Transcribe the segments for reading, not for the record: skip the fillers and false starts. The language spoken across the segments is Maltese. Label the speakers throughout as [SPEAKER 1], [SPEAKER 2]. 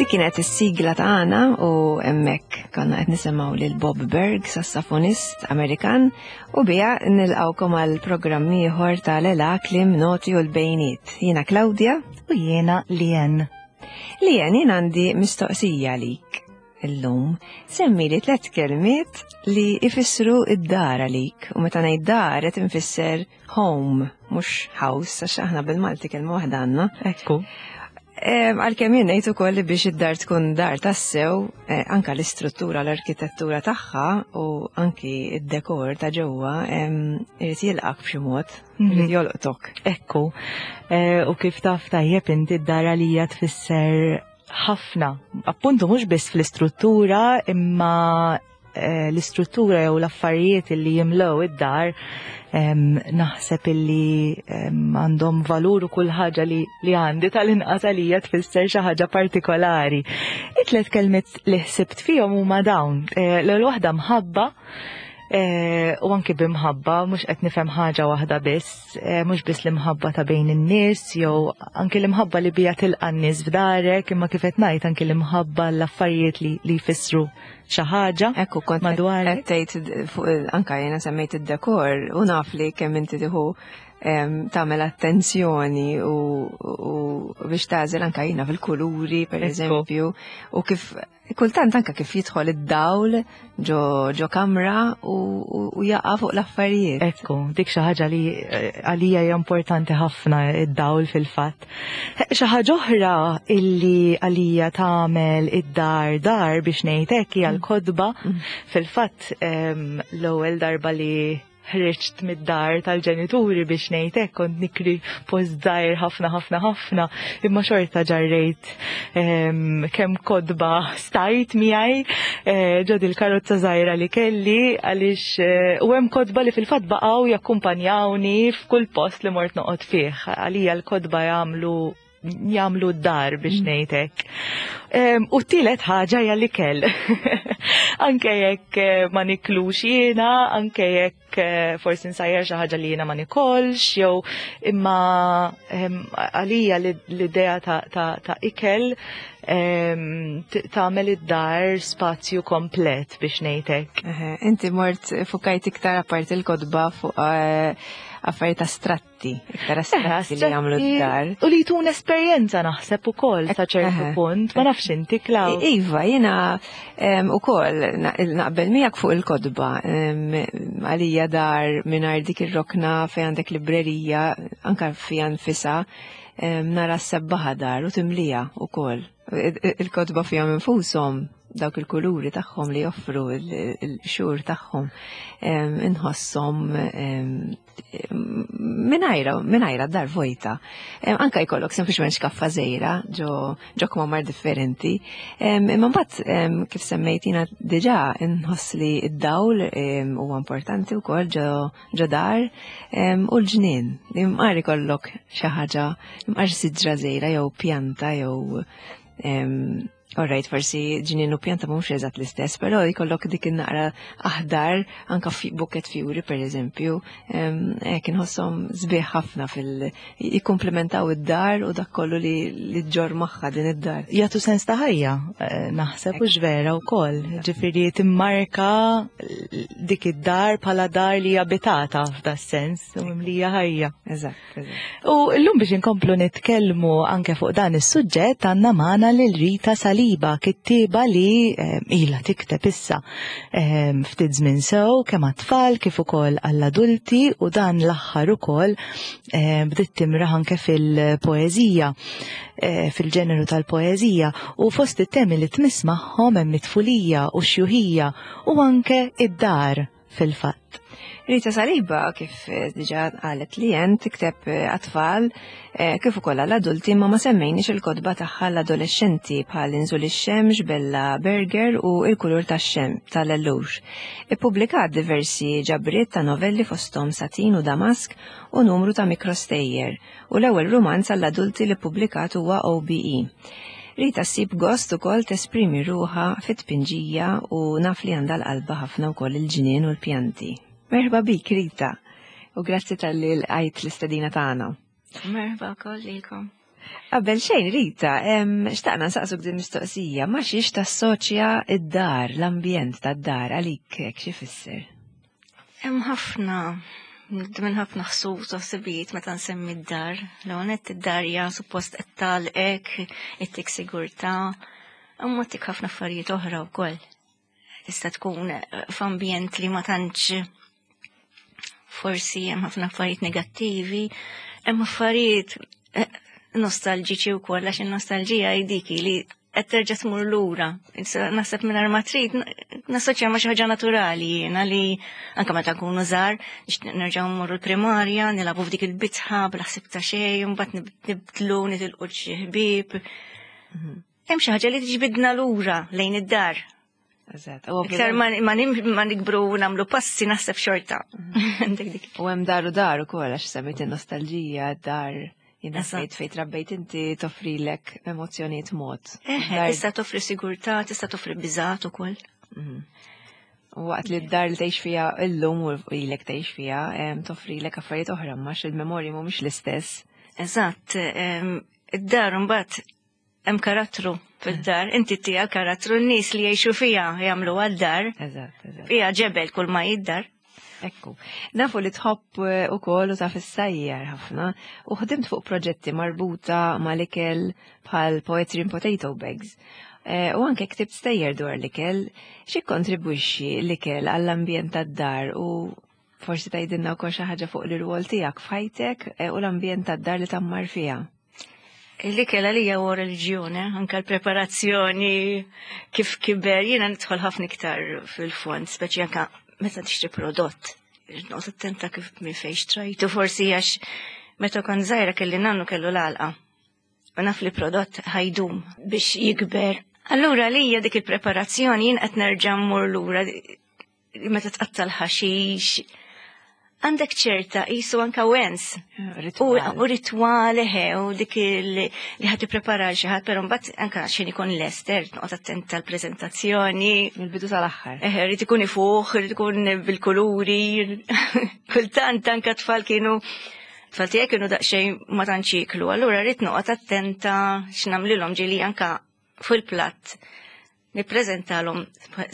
[SPEAKER 1] Dik kienet is-sigla tagħna u hemmhekk konna qed nisimgħu lil Bob Berg, sassafonist Amerikan, u biha nilqgħukom għal programm ieħor tal-Ela Klim Noti u l-Bejniet. Jiena Claudia
[SPEAKER 2] u jiena Lien.
[SPEAKER 1] Lien, jien għandi mistoqsija għalik illum. Semmi li tlet kelmiet li ifissru id-dar għalik u meta ngħid dar qed infisser home, mhux house, għax aħna bil-Malti kelma waħda għandna.
[SPEAKER 2] Ekku.
[SPEAKER 1] Għalkemm jien ngħid ukoll li biex id-dar tkun dar tassew, eh, anka l-istruttura, l-arkitettura tagħha u anki id-dekor ta' ġewwa irid jilqak b'xi mod, mhm. irid jolqtok.
[SPEAKER 2] Ekku. Eh, u kif taf tajjeb inti d-dar għalija tfisser ħafna, appuntu mhux biss fl-istruttura imma eh, l-istruttura jew l-affarijiet li jimlew id-dar naħseb illi għandhom valur u kull ħaġa li, li għandi tal-inqas għalija tfisser xi ħaġa partikolari. It-tlet kelmiet li ħsibt fihom huma dawn. Eh, l-ewwel waħda mħabba eh, u anki bimħabba mhux qed nifhem ħaġa waħda biss, Eh, mhux biss l-imħabba ta' bejn in-nies jew anki l-imħabba li bija tilqa' n-nies f'darek, imma kif qed ngħid anki l-imħabba l-affarijiet li, li jfissru xi ħaġa.
[SPEAKER 1] Ekku kont madwar qed tgħid fuq anka jiena semmejt id-dekor u naf li kemm inti tieħu tagħmel attenzjoni u, u biex tagħżel anka jiena fil-kuluri per eżempju u kif Kultant anka kif jidħol id-dawl ġo, ġo kamra u, u, u jaqa' fuq l-affarijiet.
[SPEAKER 2] Ekku, dik xi ħaġa li eh, għalija hija importanti ħafna id-dawl fil-fatt. Eh, xi ħaġa oħra illi għalija tagħmel id-dar dar biex ngħid hekk hija mm. l-kodba. Mm. Fil-fatt ehm, l-ewwel darba li ħriġt mid-dar tal-ġenituri biex ngħid hekk kont nikri post żgħir ħafna ħafna ħafna imma xorta ġarrejt ehm, kemm kodba stajt miegħi eh, ġod il-karozza żgħira li kelli għaliex eh, u hemm kodba li fil-fatt baqgħu jakkumpanjawni f'kull post li mort noqgħod fih. Għalija l-kodba jagħmlu jagħmlu d-dar biex mm. ngħid hekk. U t-tielet ħaġa hija l-ikel. Anke jekk eh, ma niklux jiena, anke jekk eh, forsi nsajjar xi ħaġa li jiena ma nikolx, jew imma għalija l-idea ta' ikel tagħmel id-dar spazju komplet biex ngħid hekk.
[SPEAKER 1] Inti mort fukajt iktar apparti l-kotba fuq eh, affarijiet astratti. astratti, iktar astratti li jagħmlu d-dar.
[SPEAKER 2] U li jtun esperjenza naħseb ukoll sa ċertu punt, ma nafx inti Klaw.
[SPEAKER 1] Iva, jiena ukoll naqbel miegħek fuq il-kodba. Għalija dar mingħajr dik ir-rokna fejn għandek librerija, anka fija nfisha, nara s-sebbaħa dar u timlija ukoll. Il-kotba fihom infushom dawk il-kuluri tagħhom li joffru il-xhur tagħhom inħosshom minajra, minajra dar vojta. Anka jkollok sempliċement xkaffa żejra ġo ġo kmamar differenti. Imma mbagħad kif semmejt jiena diġà inħoss li d-dawl huwa importanti wkoll ġo ġo dar u l-ġnien. Imqar ikollok xi ħaġa, imqar siġra żejra jew pjanta jew Alright, forsi ġnien u pjanta mhux eżatt l-istess, però jkollok dik in-naqra aħdar anka buket fjuri per eżempju, hekk inħosshom sbieħ ħafna fil jikkumplementaw id-dar u dak kollu li li ġġorr magħha din id-dar.
[SPEAKER 2] Jagħtu sens ta' ħajja, eh, naħseb u vera wkoll. Ġifieri timmarka dik id-dar bħala dar li abitata f'da sens u mimlija ħajja.
[SPEAKER 1] Eżatt.
[SPEAKER 2] U llum biex inkomplu nitkellmu anke fuq dan is-suġġett għandna magħna lil Rita Saliba, kittieba li eh, ilha tikteb issa eh, ftit żmien sew kemm għat-tfal kif ukoll għall-adulti u dan l-aħħar ukoll eh, bdiet timraħ anke fil-poeżija fil-ġeneru tal-poeżija u fost it-temi li tmiss magħhom hemm it-tfulija u x-xjuħija u anke id-dar fil-fatt.
[SPEAKER 1] Rita Saliba, kif eh, diġa qalet li jen, tikteb eh, għat-tfal eh, kif ukoll għall-adulti ma ma semmejniex il-kotba tagħha l-adolescenti bħal Inżul ix-xemx, Bella Berger u Il-kulur tax-xem tal-Ellux. Ippubblikat diversi ġabriet ta' novelli fosthom Satin u Damask u numru ta' mikrostejjer u l-ewwel rumanz għall-adulti li ppubblikat huwa OBE. Rita ssib gost ukoll tesprimi ruħha fit-tpinġija u naf li għandha l-qalba ħafna wkoll il-ġnien u l-pjanti. Merħba bik Rita u grazzi talli lqajt l-istedina tagħna.
[SPEAKER 3] Merħba wkoll lilkom.
[SPEAKER 1] Qabel xejn, Rita, xtaqna nsaqsuk din mistoqsija, ma xiex tassoċja id-dar, l-ambjent tad-dar għalik hekk xi fisser?
[SPEAKER 3] Hemm ħafna minn ħafna ħsus u ħsibijiet meta nsemmi d-dar. L-għonet id-dar hija suppost qed tagħlqek, ittik sigurtà, imma tik ħafna affarijiet oħra wkoll. Tista' tkun f'ambjent li ma tantx forsi hemm ħafna affarijiet negattivi, hemm affarijiet eh, nostalġiċi wkoll għax in-nostalġija hi dik li qed terġa' tmur lura. Naħseb mingħajr ma trid nassoċja ma' xi ħaġa naturali jiena li anke meta nkunu żgħar nixtieq nerġgħu mmorru l-primarja, nilagħbu f'dik il-bitħa bla ħsieb ta' xejn, mbagħad nibdlu nitilqu xi ħbieb. Mhm. Hemm xi ħaġa li tiġbidna lura lejn id-dar.
[SPEAKER 1] Eżatt.
[SPEAKER 3] Iktar ma nikbru u nagħmlu passi naħseb xorta.
[SPEAKER 1] Mhm. U hemm dar u dar ukoll għax semmejt in-nostalġija, dar jiena fejt fejt rabbejt inti toffrilek emozzjonijiet mod.
[SPEAKER 3] Eħe, tista' toffri sigurtà, tista' toffri biżgħat ukoll.
[SPEAKER 1] Mhm. U waqt li d-dar li tgħix fiha illum u ilek tgħix fiha, toffrilek affarijiet oħra ma il-memorji mhumiex l-istess.
[SPEAKER 3] Eżatt, id-dar mbagħad hemm karattru fid-dar, inti tija karattru n-nies li jgħixu fiha jagħmlu għad-dar.
[SPEAKER 1] Eżatt, eżatt.
[SPEAKER 3] Hija ġebel kull ma jiddar.
[SPEAKER 1] Ekku. Nafu li tħobb eh, ukoll u taf issajjar ħafna u ħdimt fuq proġetti marbuta mal-ikel bħal Poetry in Potato Bags. Eh, u anke ktibt stejjer dwar l-ikel, xi kontribwixxi l-ikel għall-ambjent tad-dar u forsi tgħidilna wkoll xi ħaġa fuq l-irwol tiegħek f'ħajtek eh, u l-ambjent tad-dar li tammar fiha.
[SPEAKER 3] L-ikel għalija huwa reliġjoni, anke l-preparazzjoni kif kiber, jiena nidħol ħafna iktar fil-fond, speċi anke meta tixtri prodott. Noqgħod attenta kif minn fejn xtrajtu, forsi għax meta kont żgħira kelli nannu kellu l-għalqa. U naf li prodott ħajdum biex jikber. Allura għalija dik il-preparazzjoni jien qed nerġa' mmur lura meta tqatta' l-ħaxix, għandek ċerta jisu anka wens. U ritwal eħe, u dik li ħad tipprepara xi ħadd, però mbagħad anka xejn ikun lest, er, noqgħod attent tal-preżentazzjoni.
[SPEAKER 1] Mill-bidu tal-aħħar.
[SPEAKER 3] Eħe, rrid ikun ifuħ, rrid ikun bil-kuluri. Kultant anka tfal kienu tfal tiegħi kienu daqsxejn ma tantx jieklu, allura rrid noqgħod attenta x'nagħmlilhom ġieli anka fil-platt nippreżentalhom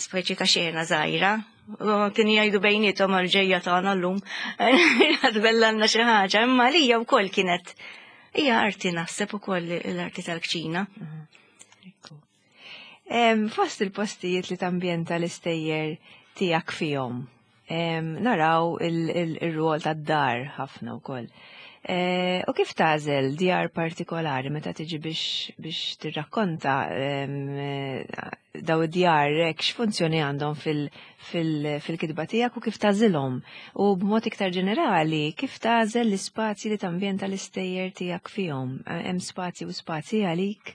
[SPEAKER 3] speċi ta' xena żgħira. Kienu jgħidu bejniethom għal ġejja tagħna llum. Għadbellanna xi ħaġa, imma lija wkoll kienet hija arti naħseb ukoll l-arti tal-kċina.
[SPEAKER 1] Mhm. Fost il-postijiet li tambjenta l-istejjer tiegħek fihom, naraw il-rwol tad-dar ħafna wkoll. E, u kif tażel djar partikolari meta tiġi biex tirrakkonta daw id-djar hekk x'funzjoni għandhom fil-kitba tiegħek u kif tażilhom? U b'mod iktar ġenerali, kif tażel l-ispazji li tambjenta l-istejjer tiegħek fihom? Hemm spazji u spazji għalik?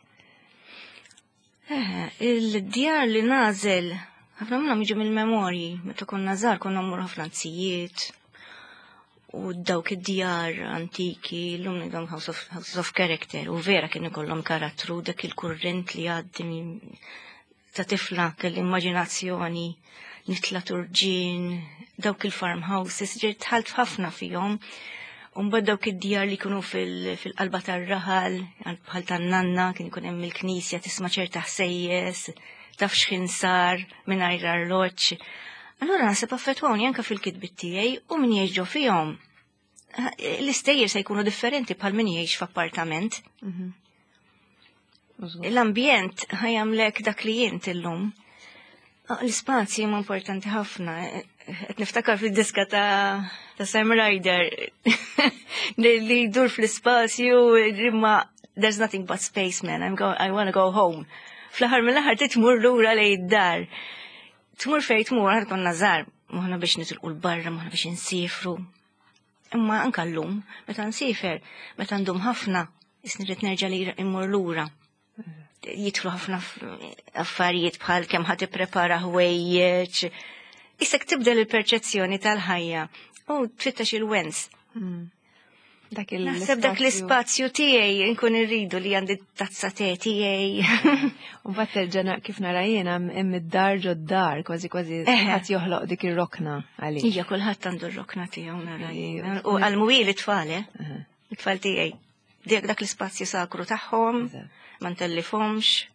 [SPEAKER 3] Il-djar li nażel, ħafna minnhom jiġu mill-memorji, meta konna żgħar konna mmur ħafna anzijiet u dawk id-djar antiki, llum ngħidhom house of, house of character, u vera kien ikollhom karattru dak il-kurrent li għaddi ta' tifla kelli immaġinazzjoni nitla turġin, dawk il-farmhouses, ġiet tħalt ħafna fihom. Umbad dawk id-djar li jkunu fil-qalba tar-raħal, bħal tan-nanna, kien ikun hemm il-knisja tisma' ċerta ħsejjes, taf x'ħin sar mingħajr arloġġ. Allura naħseb affettwawni anke fil-kitbiet tiegħi u min jgħix ġo fihom. L-istejjer se jkunu differenti bħal min jgħix f'appartament. Mhm. L-ambjent ħajamlek dak li jint illum. Ah, l-ispazji huma importanti ħafna. Qed niftakar fid-diska ta', ta Sam Ryder li jdur fl-ispazju imma there's nothing but space man, I'm go, I wanna go home. Fl-aħħar mill-aħħar titmur lura lejn id-dar. Tmur fejn tmur, aħna konna żgħar, moħna biex nitilqu l-barra, moħna biex insifru. Imma anka llum, meta nsifer, meta ndum ħafna, isni rrid nerġa' li immur lura. Jidħlu ħafna affarijiet bħal kemm ħadd ipprepara ħwejjeġ. Isek tibdel il-perċezzjoni tal-ħajja u tfittex il-wens. Hmm. Dak Naħseb dak l-ispazju tiegħi nkun irridu li għandi tazza te tiegħi.
[SPEAKER 1] U mbagħad terġa' kif nara jiena hemm id-dar ġod dar, kważi kważi ħadd joħloq dik ir-rokna għalih.
[SPEAKER 3] Ija kulħadd għandu r-rokna tiegħu nara jiena. U għal-mwiel it-tfal, eh? It-tfal tiegħi. Dak l-ispazju sakru tagħhom, ma ntellifhomx.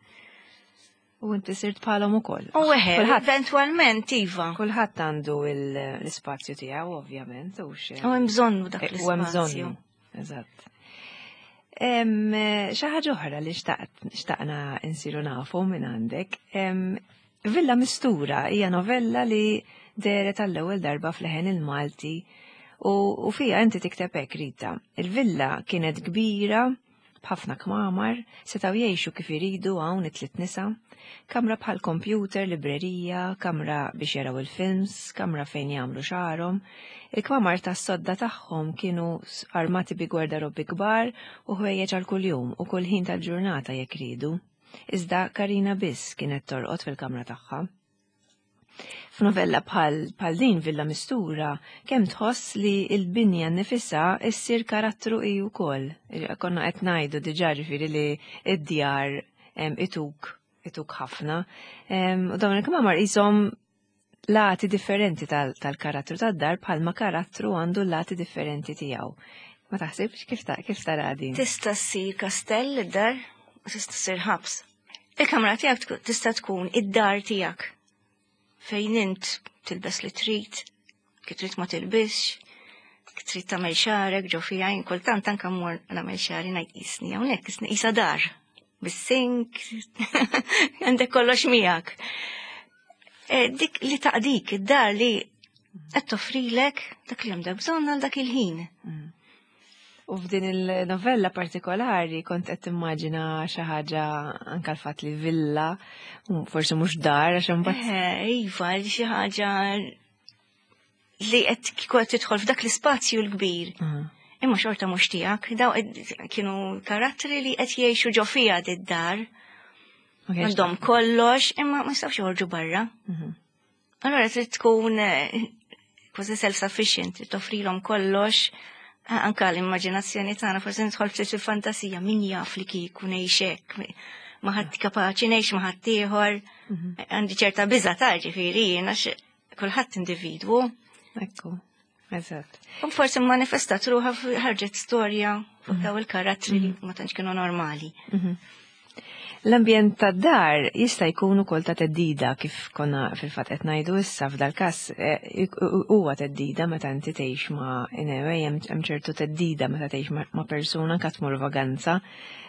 [SPEAKER 1] U inti sirt bħalhom ukoll.
[SPEAKER 3] U eħe, eventwalment iva.
[SPEAKER 1] Kulħadd għandu l-ispazju tiegħu ovvjament
[SPEAKER 3] u xi. U hemm bżonnu dak l-ispazju. U hemm bżonnu.
[SPEAKER 1] Eżatt. Xi ħaġa oħra li xtaqna nsiru nafu minn għandek. Villa Mistura hija novella li dehret għall-ewwel darba f'Leħen il-Malti u fija inti tikteb hekk Rita. Il-villa kienet kbira b'ħafna kmamar, setgħu jgħixu kif iridu hawn it-tliet nisa, kamra bħal kompjuter, librerija, kamra biex jaraw il-films, kamra fejn jagħmlu xagħarhom. Il-kmamar tas-sodda tagħhom kienu armati bi gwardarobbi kbar u ħwejjeġ għal kuljum u kull ħin tal-ġurnata jekk riedu. Iżda Karina biss kienet torqod fil-kamra tagħha. F'novella bħal bħal din Villa Mistura, kemm tħoss li l-binja nnifisha ssir karattru hi wkoll. Konna qed ngħidu diġà ġifieri li d-djar ituk ituk ħafna. U dawn il-kmamar qishom lati differenti tal-karattru tad-dar bħalma karattru għandu lati differenti tiegħu. Ma taħsibx kif kif tara din?
[SPEAKER 3] Tista' ssir kastell id-dar u tista' ssir ħabs. Il-kamra tiegħek tista' tkun id-dar tiegħek fejn int tilbes li trid, kif trid ma tilbisx, kif trid tagħmel xagħrek ġo fiha jien kultant anke mmur nagħmel xagħri ngħid qisni hawnhekk qisni qisha dar bis-sink għandek kollox miegħek. E, dik li taqdik id-dar li qed toffrilek dak li għandek bżonn għal dak il-ħin.
[SPEAKER 1] U f'din il-novella partikolari kont qed timmaġina xi ħaġa anke l-fatt li villa, forsi mhux dar għax imbagħad.
[SPEAKER 3] Eh, iva, xi ħaġa li qed kieku qed tidħol f'dak l-ispazju l-kbir. Mhm. Imma xorta mhux tiegħek, daw kienu karattri li qed jgħixu ġo fiha d-dar. Għandhom kollox, imma ma jistgħux joħorġu barra. Mhm. Allora trid tkun eh, kważi self-sufficient, trid toffrilhom kollox, eh, anka l-immaġinazzjoni tagħna forsi nidħol ftit fil-fantasija min jaf li kieku ngħix hekk, ma ħadd kapaċi ngħix ma ħadd ieħor, mhm. għandi ċerta biża' ta' ġifieri jien għax kulħadd individwu.
[SPEAKER 1] Ekku. Eżatt.
[SPEAKER 3] U forsi manifestat ruħa ħarġet storja fuq mhm. daw il-karattri li mhm. ma tantx kienu normali.
[SPEAKER 1] Mhm. L-ambjent tad-dar jista' jkun ukoll ta' teddida kif konna fil-fatt qed ngħidu issa f'dal-każ eh, huwa teddida meta inti tgħix ma' anyway hemm ċertu teddida meta tgħix ma' persuna anke tmur vaganza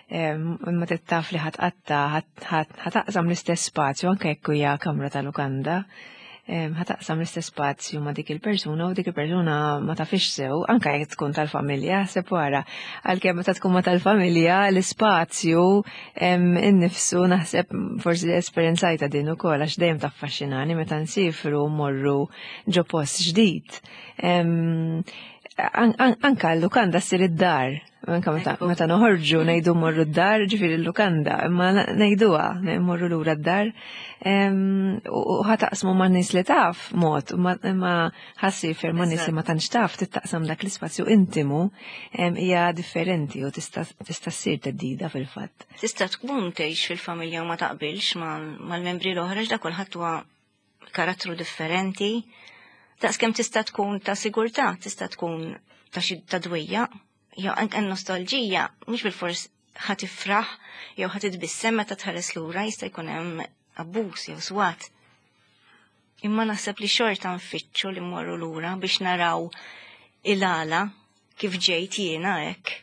[SPEAKER 1] imma taf li ħatqatta ħataqsam l-istess spazju anke jekk hija kamra ta' lukanda ħataqsam l-istess spazju ma' dik il-persuna u dik il-persuna ma tafix sew, anka jekk tkun tal-familja, sepp wara. Għalkemm meta tkun ma tal-familja, l-ispazju innifsu naħseb forsi esperjenzajta din ukoll għax dejjem taffaxxinani meta nsifru morru ġo post ġdid. Anka l-lukanda ssir id-dar. Anka meta noħorġu ngħidu morru d-dar, ġifieri l-lukanda, imma ngħiduha, morru lura d-dar. U ħataqsmu ma' nies li taf mod, imma ħassifer ma' nies li ma tantx taf tittaqsam dak l-ispazju intimu hija differenti u tista' ssir teddida fil-fatt.
[SPEAKER 3] Tista' tkun tgħix fil-familja u ma taqbilx mal-membri l-oħra x'da kulħadd huwa karattru differenti. Daqskemm tista' tkun ta' sigurtà, tista' tkun ta' xi ta' dwejja, jew anke nostalġija, mhux bil-fors ħa tifraħ jew ħa titbissem meta tħares lura jista' jkun hemm abbuż jew swat. Imma naħseb li xorta nfittxu li mmorru lura biex naraw il-għala kif ġejt jiena hekk.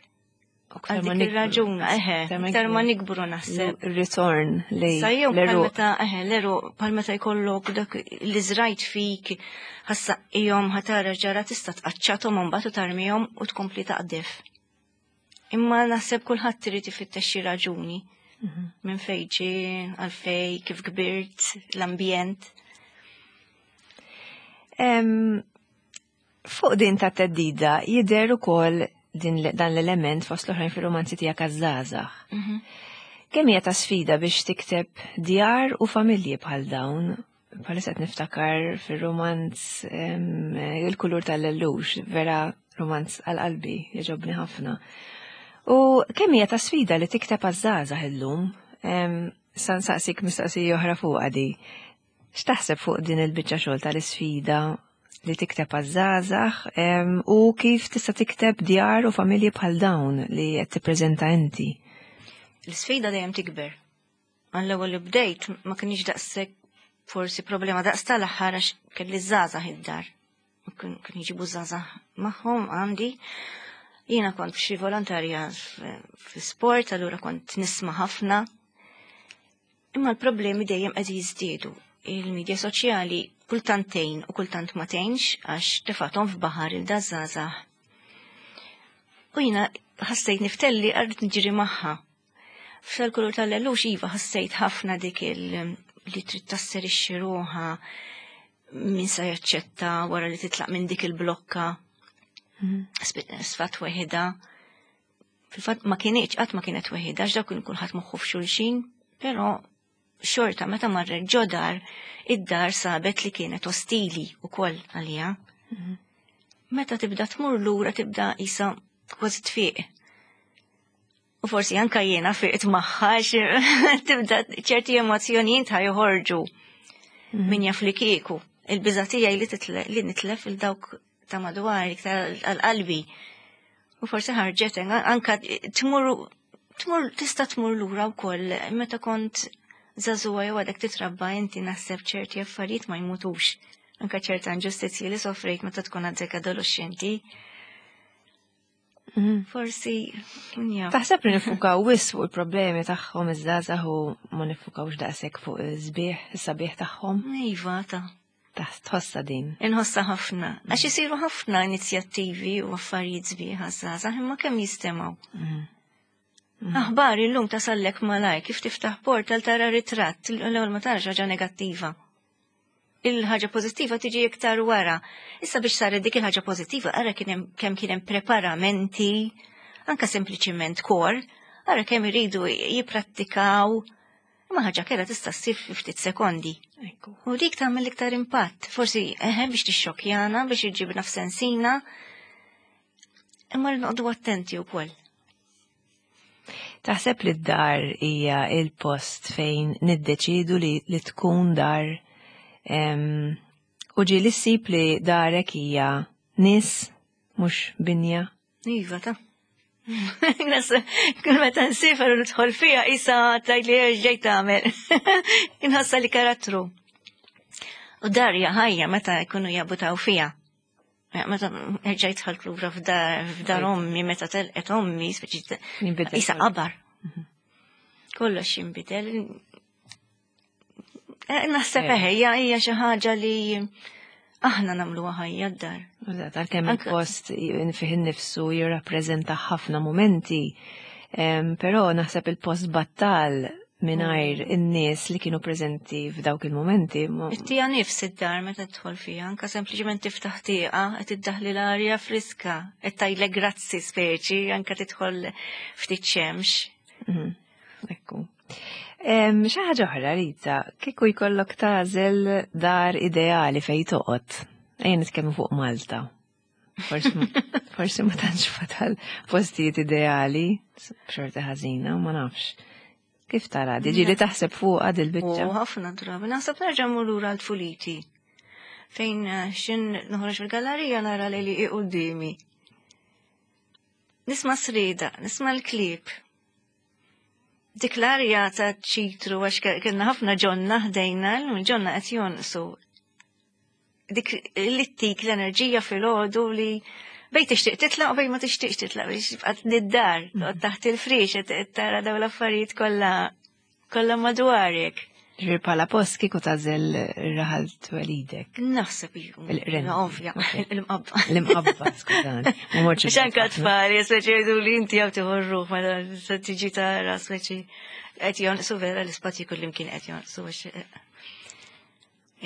[SPEAKER 3] Għal dik ir-raġuna, eħe, iktar ma nikbru naħseb.
[SPEAKER 1] Ritorn li.
[SPEAKER 3] Sajjew bħal meta, eħe, l-eru, bħal meta jkollok dak li żrajt fik, ħassaqqihom ħatara ġara tista' tqaċċathom imbagħad u tarmihom u tkompli taqdef. Imma naħseb kulħadd irid ifittex xi raġuni mhm. minn fejn ġie, għalfej, kif kbirt, l-ambjent.
[SPEAKER 1] Fuq din ta' teddida jidher ukoll din dan l-element fost l-oħrajn fir-romanzi tiegħek għaż-żgħażagħ. Mhm. Kemm hija ta' sfida biex tikteb djar u familji bħal dawn? Bħalissa qed niftakar fir-romanz Il-kulur tal-lellux, vera romanz għal qalbi, jogħġobni ħafna. U kemm hija ta' sfida li tikteb għaż-żgħażagħ illum? Sa nsaqsik mistoqsija oħra fuqha di. X'taħseb fuq din il-biċċa xogħol tal-isfida li tikteb għaż-żgħażagħ u kif tista' tikteb djar u familji bħal dawn li qed tippreżenta inti.
[SPEAKER 3] L-isfida dejjem tikber. Għall-ewwel li bdejt ma kienx daqshekk forsi problema daqs tal-aħħar għax kelli żgħażagħ id-dar. Kien jġibu żgħażagħ magħhom għandi. Jiena kont f'xi volontarja fi sport, allura kont nisma' ħafna. Imma l-problemi dejjem qed jiżdiedu. Il-medja soċjali kultant tgħin u kultant ma tgħinx għax tefathom f'baħar il-dażżgħażagħ. U jiena ħassejt niftelli għarrit nġiri magħha. F'sal-kulur tal-lellux iva ħassejt ħafna dik il li trid tasserixxi ruħha min se jaċċetta wara li titlaq minn dik il-blokka. Sfat weħida. Fil-fatt ma kienieċ, qatt ma kienet weħida, għax dawk kien kulħadd moħħu f'xulxin, però xorta meta marret ġodar, id-dar sabet li kienet ostili wkoll għalija. Meta tibda tmur lura tibda isa kważi tfiq. U forsi anka jiena fiqt magħha tibda ċerti emozzjonijiet ħa joħorġu min jaf li kieku. Il-biża' tiegħi li li nitlef il dawk ta' madwar iktar għal-qalbi. U forsi ħarġet anka tmur tmur tista' tmur lura wkoll meta kont żagħżugħa jew għadek titrabba inti naħseb ċerti affarijiet ma jmutux. Anka ċerta inġustizzji li sofrejt meta tkun għadek adolescenti. Forsi,
[SPEAKER 1] ja. Taħseb li nifukaw wis fuq il-problemi tagħhom iż-żgħażagħ u ma nifukawx daqshekk fuq iż-żbieħ, is-sabiħ tagħhom?
[SPEAKER 3] Iva, ta'
[SPEAKER 1] Tħossha din.
[SPEAKER 3] Inħossha ħafna. Għax isiru ħafna inizjattivi u affarijiet sbieħ għaż-żgħażagħ imma kemm jistemgħu. Aħbar illum tasallek malaj kif tiftaħ portal tara ritratt, l-ewwel ma tarax ħaġa negattiva. Il-ħaġa pożittiva tiġi iktar wara. Issa biex saret dik il-ħaġa pożittiva, ara kemm kien hemm preparamenti, anka sempliċiment kor, ara kemm iridu jipprattikaw. Imma ħaġa kera tista' ssir fi ftit sekondi. U dik tagħmel iktar impatt, forsi eħe biex tixxokjana, biex iġibna f'sensina, imma noqogħdu attenti wkoll.
[SPEAKER 1] Taħseb li d-dar hija il-post fejn niddeċidu li, li tkun dar u ġieli ssib li darek hija nies mhux binja?
[SPEAKER 3] Iva, ta' Kull meta nsifer u nidħol fiha isa tgħid li ġejt tagħmel. Inħossa li karattru. U darja ħajja meta jkunu jabutaw fiha. Meta ġejt dħalt lura f'dar ommi, meta telqet ommi, speċi isa qabar. Kollox jinbidel. Naħseb eħe, hija xi ħaġa li aħna nagħmluha ħajja d-dar.
[SPEAKER 1] Eżatt, għalkemm il-post fih innifsu jirrappreżenta ħafna momenti, però naħseb il-post battal mingħajr in-nies li kienu preżenti f'dawk il-momenti.
[SPEAKER 3] Ittija nifs id-dar meta tidħol fiha, anka sempliċement tiftaħ tieqa qed iddaħli l-arja friska, qed tgħidlek grazzi speċi, anka tidħol ftit xemx.
[SPEAKER 1] Ekku. Xi ħaġa oħra, Rita, kieku jkollok tagħżel dar ideali fejn toqgħod. Ejja nitkellmu fuq Malta. Forsi ma tantx fatal postijiet ideali, b'xorta ħażina, ma nafx. Kif tara, diġi li taħseb fuq għad il-biċċa?
[SPEAKER 3] U ħafna drabi, naħseb nerġa' mmur lura l-tfuliti. Fejn xin noħroġ fil-gallerija nara li li qudiemi. Nisma' srida, nisma' l-klieb. Dik l-arja ta' ċitru għax kellna ħafna ġonna ħdejna, l-ġonna qed jonqsu. Dik li ttik l-enerġija filgħodu li bejn tixtieq titlaq u bejn ma tixtieqx titlaq biex tibqa' nid-dar, toqgħod taħt il-friex qed tara dawn l-affarijiet kollha kollha madwarek.
[SPEAKER 1] Ġifieri bħala post kieku tagħżel ir-raħal twelidek.
[SPEAKER 3] Naħseb iva.
[SPEAKER 1] Il-qren.
[SPEAKER 3] Ovvja, il-mqabba.
[SPEAKER 1] L-imqabba, skużani. Ma mortx
[SPEAKER 3] Biex anka tfal, speċi jgħidu li inti għaw tiħorru, ma se tiġi tara, speċi qed jonqsu vera l-ispazji kullimkien qed jonqsu għax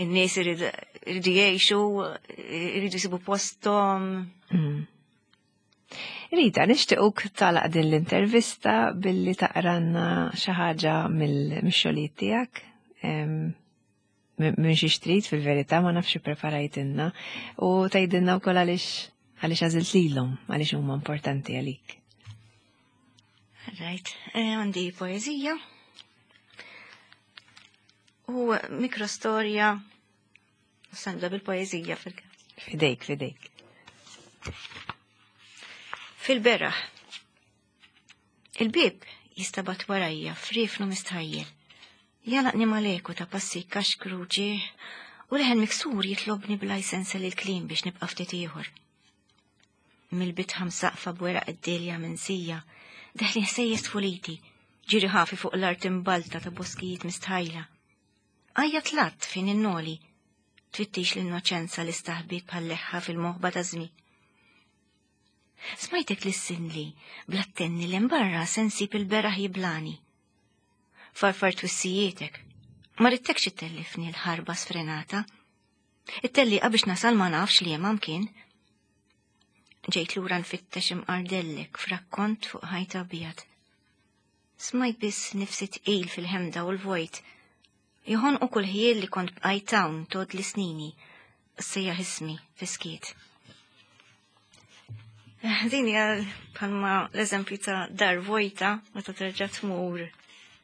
[SPEAKER 3] in-nies iridu jgħixu, iridu jsibu posthom.
[SPEAKER 1] Rita, nixtiequk tagħlaq din l-intervista billi taqranna xi ħaġa mill-xogħlijiet tiegħek. Minn xi xtrid fil-verità ma nafx ippreparajtilna u tgħidilna wkoll għaliex għaliex għażilt lilhom, għaliex huma importanti għalik.
[SPEAKER 3] Right, għandi poeżija u mikrostorja, sanda bil-poeżija fil-każ.
[SPEAKER 1] Fidejk, fidejk.
[SPEAKER 3] Fil-beraħ. Il-bib jistabat warajja frifnu mistħajjel. Jalaqni maleku ta' passi kaxkru ġieħ u leħen miksur jitlobni bla jsensa lil kliem biex nibqa' ftit ieħor. Mill-bitħa msaqfa b'weraq id-delja minsija, deħli ħsejjes tfuliti, ġiri ħafi fuq l-art imbalta ta' boskijiet mistħajla. Għajja tlatt fin innoli, tfittix l-innoċenza li staħbit bħal leħħa fil-moħba ta' żmien. Smajtek lissinli, bl-attenni l-imbarra sensib il-beraħ jiblani. Farfar twissijietek, ma rittekx ittellifni l-ħarba sfrenata. It-tellieqa biex nasal ma nafx li hemm kien. Ġejt lura nfittex imqardellek f'rakkont fuq ħajt abjad. Smajt biss nifsi tqil fil-ħemda u l-vojt. Joħonqu kull ħjiel li kont bqajt hawn tod li snini, sejjaħ ismi fiskiet. Din hija bħalma l-eżempju ta' dar vojta meta terġa' tmur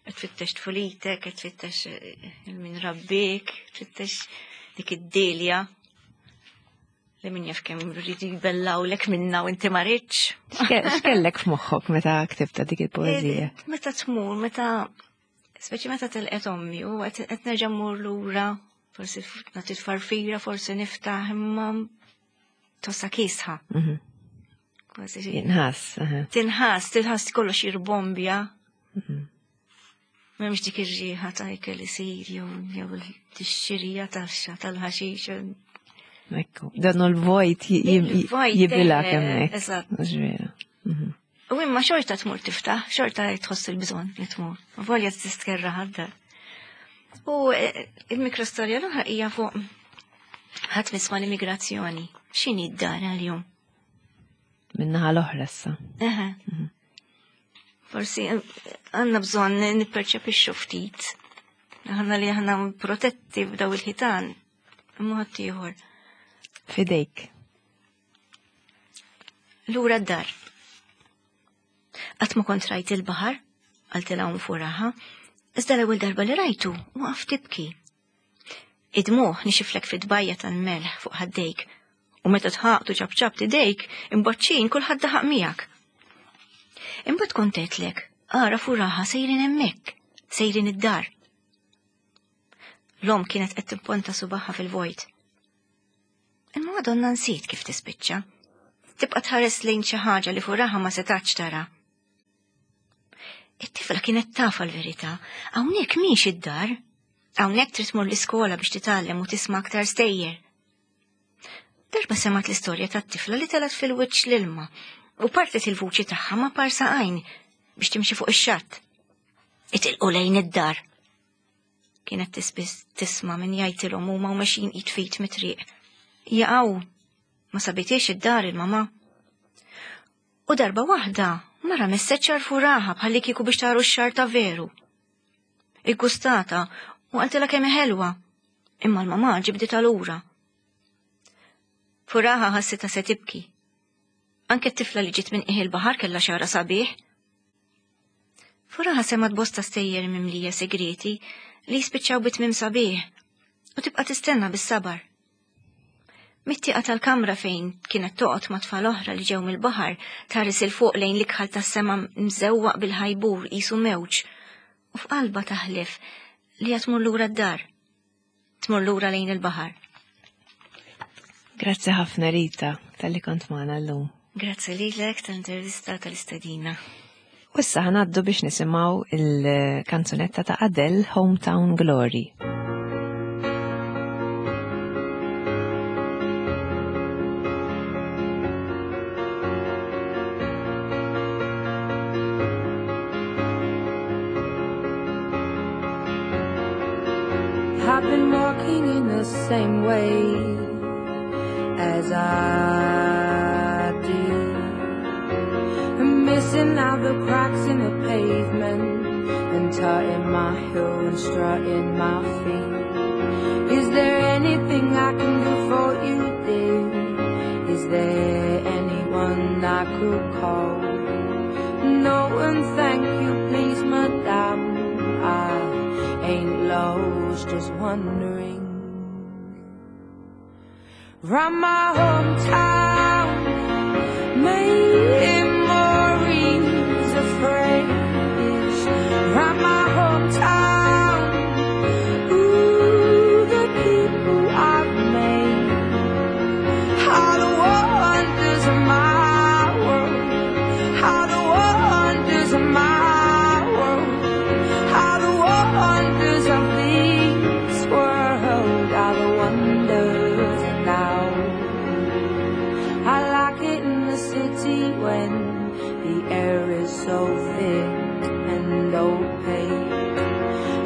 [SPEAKER 3] qed tfittex tfulitek, qed tfittex il-min rabbik, tfittex dik id-delja li min jaf kemm rridu jbellawlek minna u inti ma ridx.
[SPEAKER 1] X'kellek f'moħħok meta ktibta dik il-poeżija?
[SPEAKER 3] Meta tmur, meta speċi meta telqet ommi u qed nerġa' mmur lura, forsi nagħti tfarfira, forsi niftaħ imma tossa kisħa. Kważi
[SPEAKER 1] Jinħass.
[SPEAKER 3] Tinħass, tinħass kollox jirbombja. M'hemmx dik ir-riħa ta' ikel isir jew tixxirija taxxa tal-ħaxix.
[SPEAKER 1] Ekku, dan l-vojt
[SPEAKER 3] Il-vojt,
[SPEAKER 1] jibilak hemmhekk.
[SPEAKER 3] Eżatt.
[SPEAKER 1] Mhux vera.
[SPEAKER 3] U imma xorta tmur tiftaħ, xorta tħoss il-bżonn li tmur. Volja tistkerra ħadda. U il-mikrostorja l-oħra hija fuq ħadd misma l-immigrazzjoni. X'inhi d-dar għal-jum?
[SPEAKER 1] Minnaħa l-oħra issa.
[SPEAKER 3] Eħe. Forsi għandna bżonn nipperċepixxu ftit. Aħna li aħna protetti b'daw il-ħitan, imma ħadd ieħor.
[SPEAKER 1] Fidejk.
[SPEAKER 3] Lura d-dar. Qatt ma kont rajt il-baħar, qaltilha hawn furaħa, iżda l-ewwel darba li rajtu waqaf tibki. Id-dmugħ nixiflek fid-dbajja tal-melħ fuq ħaddejk, u meta tħaqtu ċabċab tidejk, imboċċin kulħadd daħaq miegħek. Imbagħad kont għedtlek, ara furaħa sejrin hemmhekk, sejrin id-dar. L-om kienet qed tipponta subaħħa fil-vojt. Imma Madonna nsiet kif tispiċċa. Tibqa' tħares lejn xi ħaġa li furaħa ma setax tara. It-tifla kienet tafa l-verità, hawnhekk mhix id-dar. Hawnhekk trid tmur l-iskola biex titgħallem u tisma' aktar stejjer. Darba semgħet l-istorja tat-tifla li telgħet fil-wiċċ l-ilma u partet il-vuċi tagħha ma' parsa għajn biex timxi fuq ix-xatt. Itilqu lejn id-dar. Kienet tispiss tisma' min jgħidilhom huma u mexjin id fit mit-triq. Jaqgħu, ma sabitiex id-dar il-mama. U darba waħda mara messet xar furaħa bħalli kieku biex taru x-xar ta' veru. Iggustata u qaltilha kemm ħelwa, imma l-mama ġibditha lura. Furaħa ħassitha se tibki. Anke t-tifla li ġiet minn qiegħ il-baħar kellha xara sabiħ. Furaħa semgħet bosta stejjer mimlija segreti li jispiċċaw bi tmiem sabiħ u tibqa' tistenna bis-sabar. Mit-tieqa tal-kamra fejn kienet toqgħod ma' tfal oħra li ġew mill-baħar tħares il fuq lejn l-ikħal tas-sema mżewwaq bil-ħajbur qisu mewġ u f'qalba taħlef li qed tmur lura d-dar. Tmur lura lejn il-baħar.
[SPEAKER 1] Grazzi ħafna Rita tal-li kont magħna llum.
[SPEAKER 3] Grazzi lilek tal-intervista tal-istedina.
[SPEAKER 1] U issa ħanaddu biex nisimgħu il-kanzunetta ta' Adele Hometown Glory.
[SPEAKER 4] I've been walking in the same way as I did, missing out the cracks in the pavement and tutting my heel and strutting my feet. Is there anything I can do for you, dear? Is there anyone I could call? No, and thank you, please, madame. I ain't lost, just wondering. Round my hometown, memories are fresh. Round my hometown, ooh, the people I've made are the wonders of my world. Are the wonders of my world. Are the wonders of this world. Are the wonders now. I like it in the city when the air is so thick and opaque.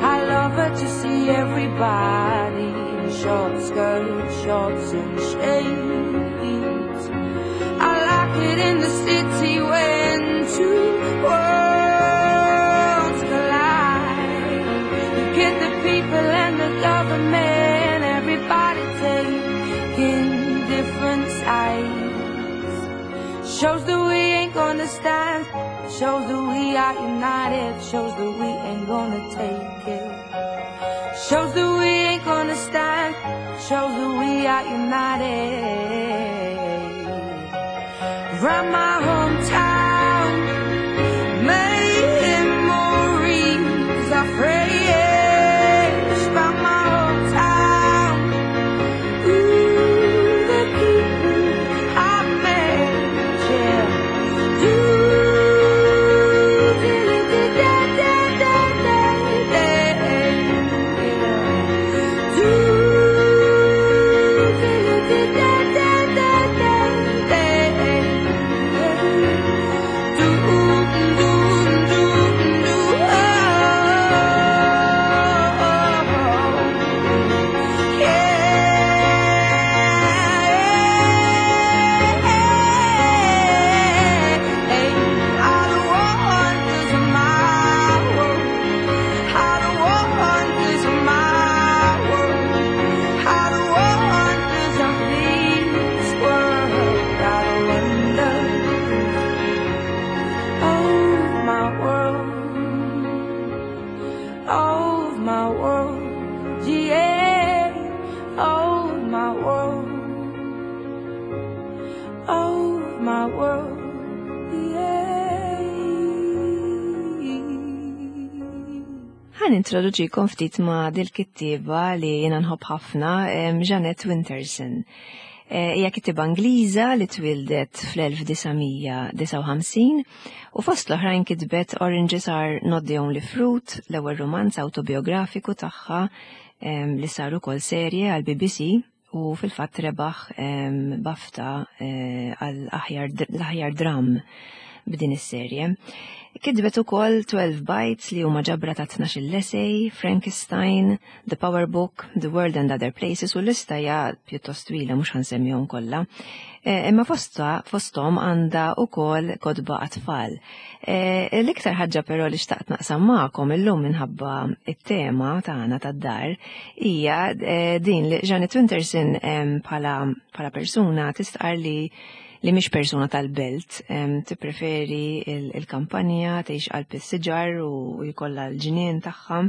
[SPEAKER 4] I love it to see everybody in short skirts, shorts and shades. I like it in the city when two worlds collide. You get the people and the government, everybody taking different sides. Shows that we ain't gonna stand, shows that we are united, shows that we ain't gonna take it. Shows that we ain't gonna stand, shows that we are united. Round my hometown, memories are fresh. Round my hometown, ooh, the people I met, yeah. Do, do, do, da, da, da, da, da, yeah. Do, do, do, da, da, da, da, da, yeah. Do, do, do, do, oh, yeah. Are the wonders of my world. Are the wonders of my world. Are the wonders of this world. Are the wonders of my world. Of my world. Yeah. Of my world. Of my world. Yeah.
[SPEAKER 1] Ħa nintroduċikom ftit ma' dil-kittieba li jiena nħobb ħafna, Jeanette Winterson. Hija kittieba Ingliża li twildet fl-1959 u fost l-oħrajn kitbet Oranges Are Not the Only Fruit, l-ewwel romanz autobiografiku tagħha li sar ukoll serje għal BBC u fil-fatt rebaħ BAFTA għal l-aħjar dram b'din is-serje. Kitbet ukoll 12 Bites li huma ġabra ta' 12 essay, Frankenstein, The Power Book, The World and Other Places u l-lista hija pjuttost twila mhux ħansemmihom kollha. Imma fosthom għandha ukoll kotba għat-tfal. L-iktar ħaġa però li xtaqt naqsam magħkom illum minħabba it-tema tagħna tad-dar hija din li Jeanette Winterson bħala persuna tistqar li mhix persuna tal-belt, tippreferi il-kampanja, tgħix qalb is-siġar u jkollha l-ġnien tagħha.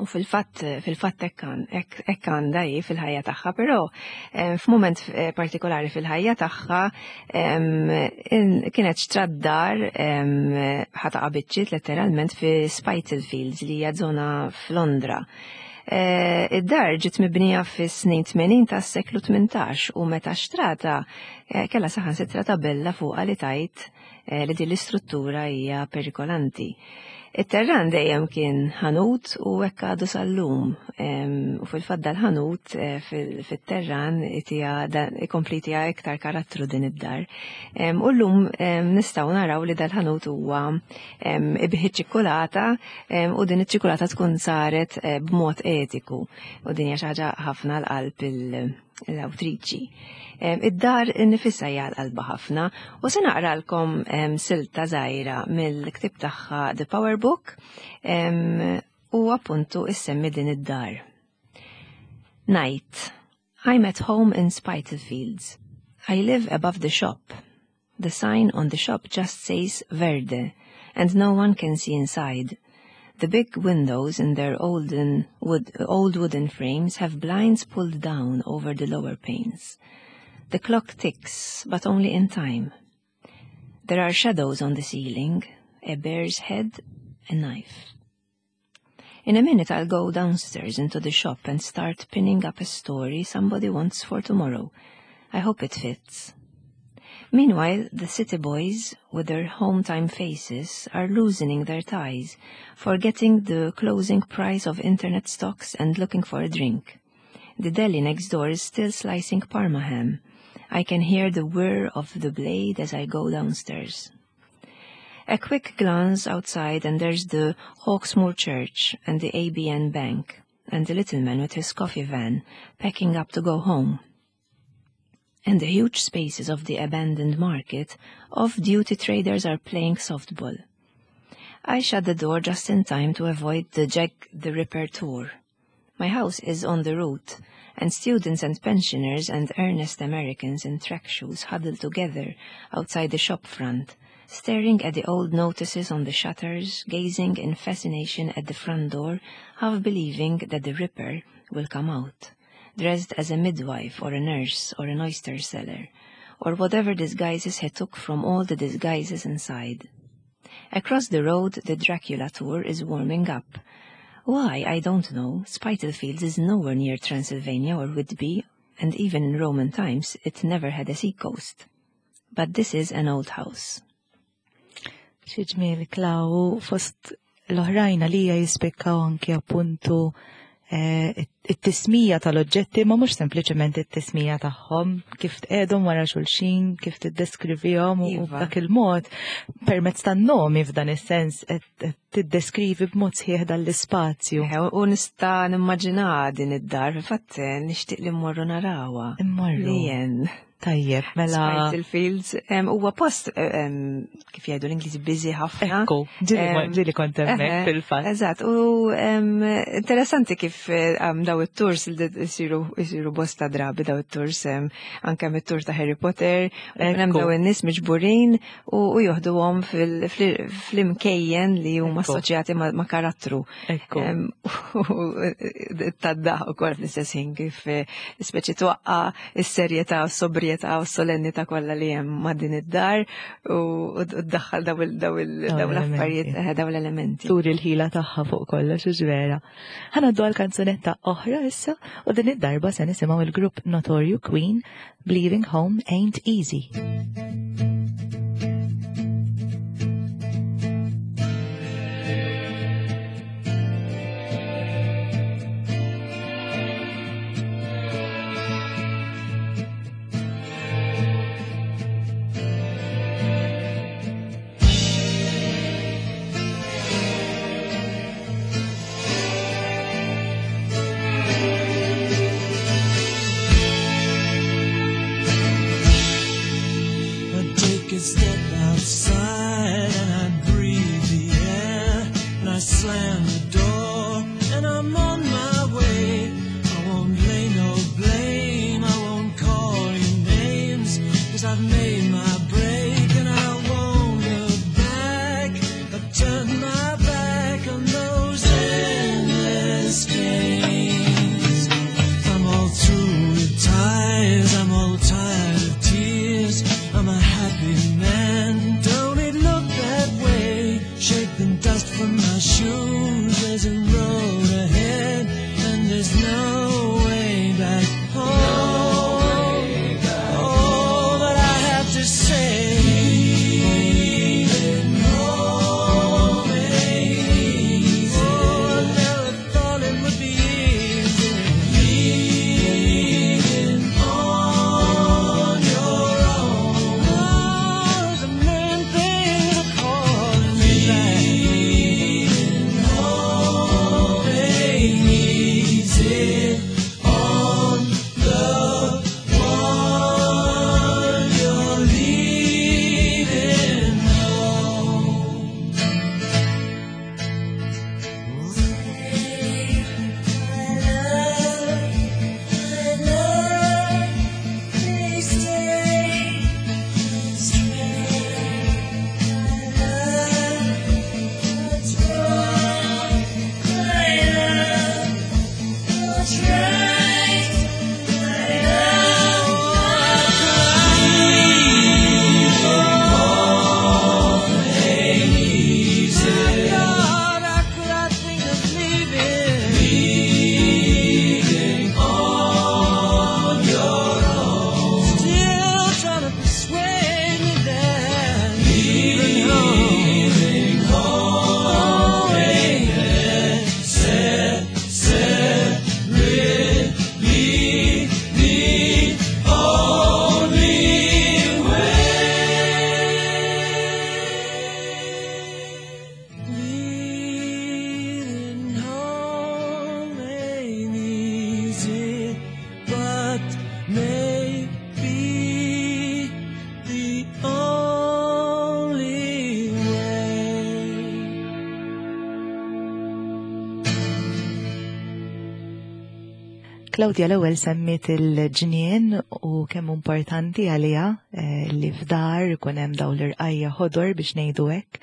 [SPEAKER 1] U fil-fatt hekk għandha hi fil-ħajja tagħha, però f'mument partikolari fil-ħajja tagħha kienet xtrat dar ħataqa biċċiet letteralment fi Spitalfields li hija żona f'Londra. Id-dar ġiet mibnija fis-snin 80 tas-seklu 18 u meta xtrata kellha saħansitra tabella fuqha li tajt li din l-istruttura hija perikolanti. It-terran dejjem kien ħanut u hekk għadu sal-lum. U fil-fatt dal-ħanut fit-terran ikompli tija iktar karattru din id-dar. U llum nistgħu naraw li dal-ħanut huwa ibih iċ-ċikkulata u din iċ-ċikkulata tkun saret b'mod etiku. U din hija xi ħaġa ħafna l-qalb l-awtriċi. Id-dar nifisha hija l-qalba ħafna u se naqralkom silta żgħira mill-ktieb tagħha The Power Book u appuntu issemmi din id-dar. Night. I'm at home in Spitalfields. I live above the shop. The sign on the shop just says Verde, and no one can see inside. The big windows in their olden wood, old wooden frames have blinds pulled down over the lower panes. The clock ticks, but only in time. There are shadows on the ceiling, a bear's head, a knife. In a minute I'll go downstairs into the shop and start pinning up a story somebody wants for tomorrow. I hope it fits. Meanwhile, the city boys, with their home-time faces, are loosening their ties, forgetting the closing price of internet stocks and looking for a drink. The deli next door is still slicing parma ham. I can hear the whir of the blade as I go downstairs. A quick glance outside and there's the Hawksmoor Church and the ABN Bank and the little man with his coffee van packing up to go home. And the huge spaces of the abandoned market, off-duty traders are playing softball. I shut the door just in time to avoid the Jack the Ripper tour. My house is on the route, and students and pensioners and earnest Americans in track shoes huddle together outside the shop front, staring at the old notices on the shutters, gazing in fascination at the front door, half believing that the Ripper will come out, dressed as a midwife or a nurse or an oyster seller, or whatever disguises he took from all the disguises inside. Across the road, the Dracula tour is warming up. Why, I don't know. Spitalfields is nowhere near Transylvania or Whitby, and even in Roman times it never had a seacoast. But this is an old house.
[SPEAKER 2] Xi ġmiel Klaw, fost l-oħrajn għalija jispikkaw anki appuntu eh, it-tismija tal-oġġetti ma mhux sempliċement it-tismija tagħhom, kif tqegħdhom wara xulxin, kif tiddeskrivihom u iva. b'dak il-mod permezz tan-nomi f'dan is-sens qed tiddeskrivi b'mod sħiħ dan l-ispazju.
[SPEAKER 1] U nista' nimmaġina din id-dar, fil-fatt eh, nixtieq li mmorru narawha.
[SPEAKER 2] Immorru. Tajjeb, mela.
[SPEAKER 1] Spitalfields huwa post kif jgħidu l-Ingliżi busy ħafna.
[SPEAKER 2] Ekku, ġieli kont hemmhekk fil-fatt.
[SPEAKER 1] Eżatt, u interessanti kif daw it-tours li jsiru bosta drabi daw it-tours anke mit-tour ta' Harry Potter, hemm daw in-nies miġburin u joħduhom fl-imkejjen li huma assoċjati ma' karattru.
[SPEAKER 2] Ekku.
[SPEAKER 1] Taddaħ ukoll fl-istess ħin kif eh, speċi twaqqa is-serjetà u s-sobrjetà u s-solennità kollha li hemm ma' din id-dar u ddaħħal daw l-affarijiet, eh, daw l-elementi.
[SPEAKER 2] Turi l-ħila tagħha fuq kollox u vera. Ħanaddu għal kanzunetta oħra issa u din id-darba se nisimgħu il-grupp Notorju Queen Believing Home Ain't Easy.
[SPEAKER 5] Step outside and I breathe the air and I slam the door and I'm on my way. I won't lay no blame, I won't call you names, 'cause I've made my break and I won't look back. I've turned my back on those endless games. I'm all through with ties, I'm all tired of tears. I'm a happy man, don't it look that way? Shake the dust from my shoes.
[SPEAKER 2] Claudia l-ewwel semmiet il-ġnien u kemm importanti għaliha eh, li f'dar ikun hemm dawn l-irqajja ħodor biex ngħidu hekk.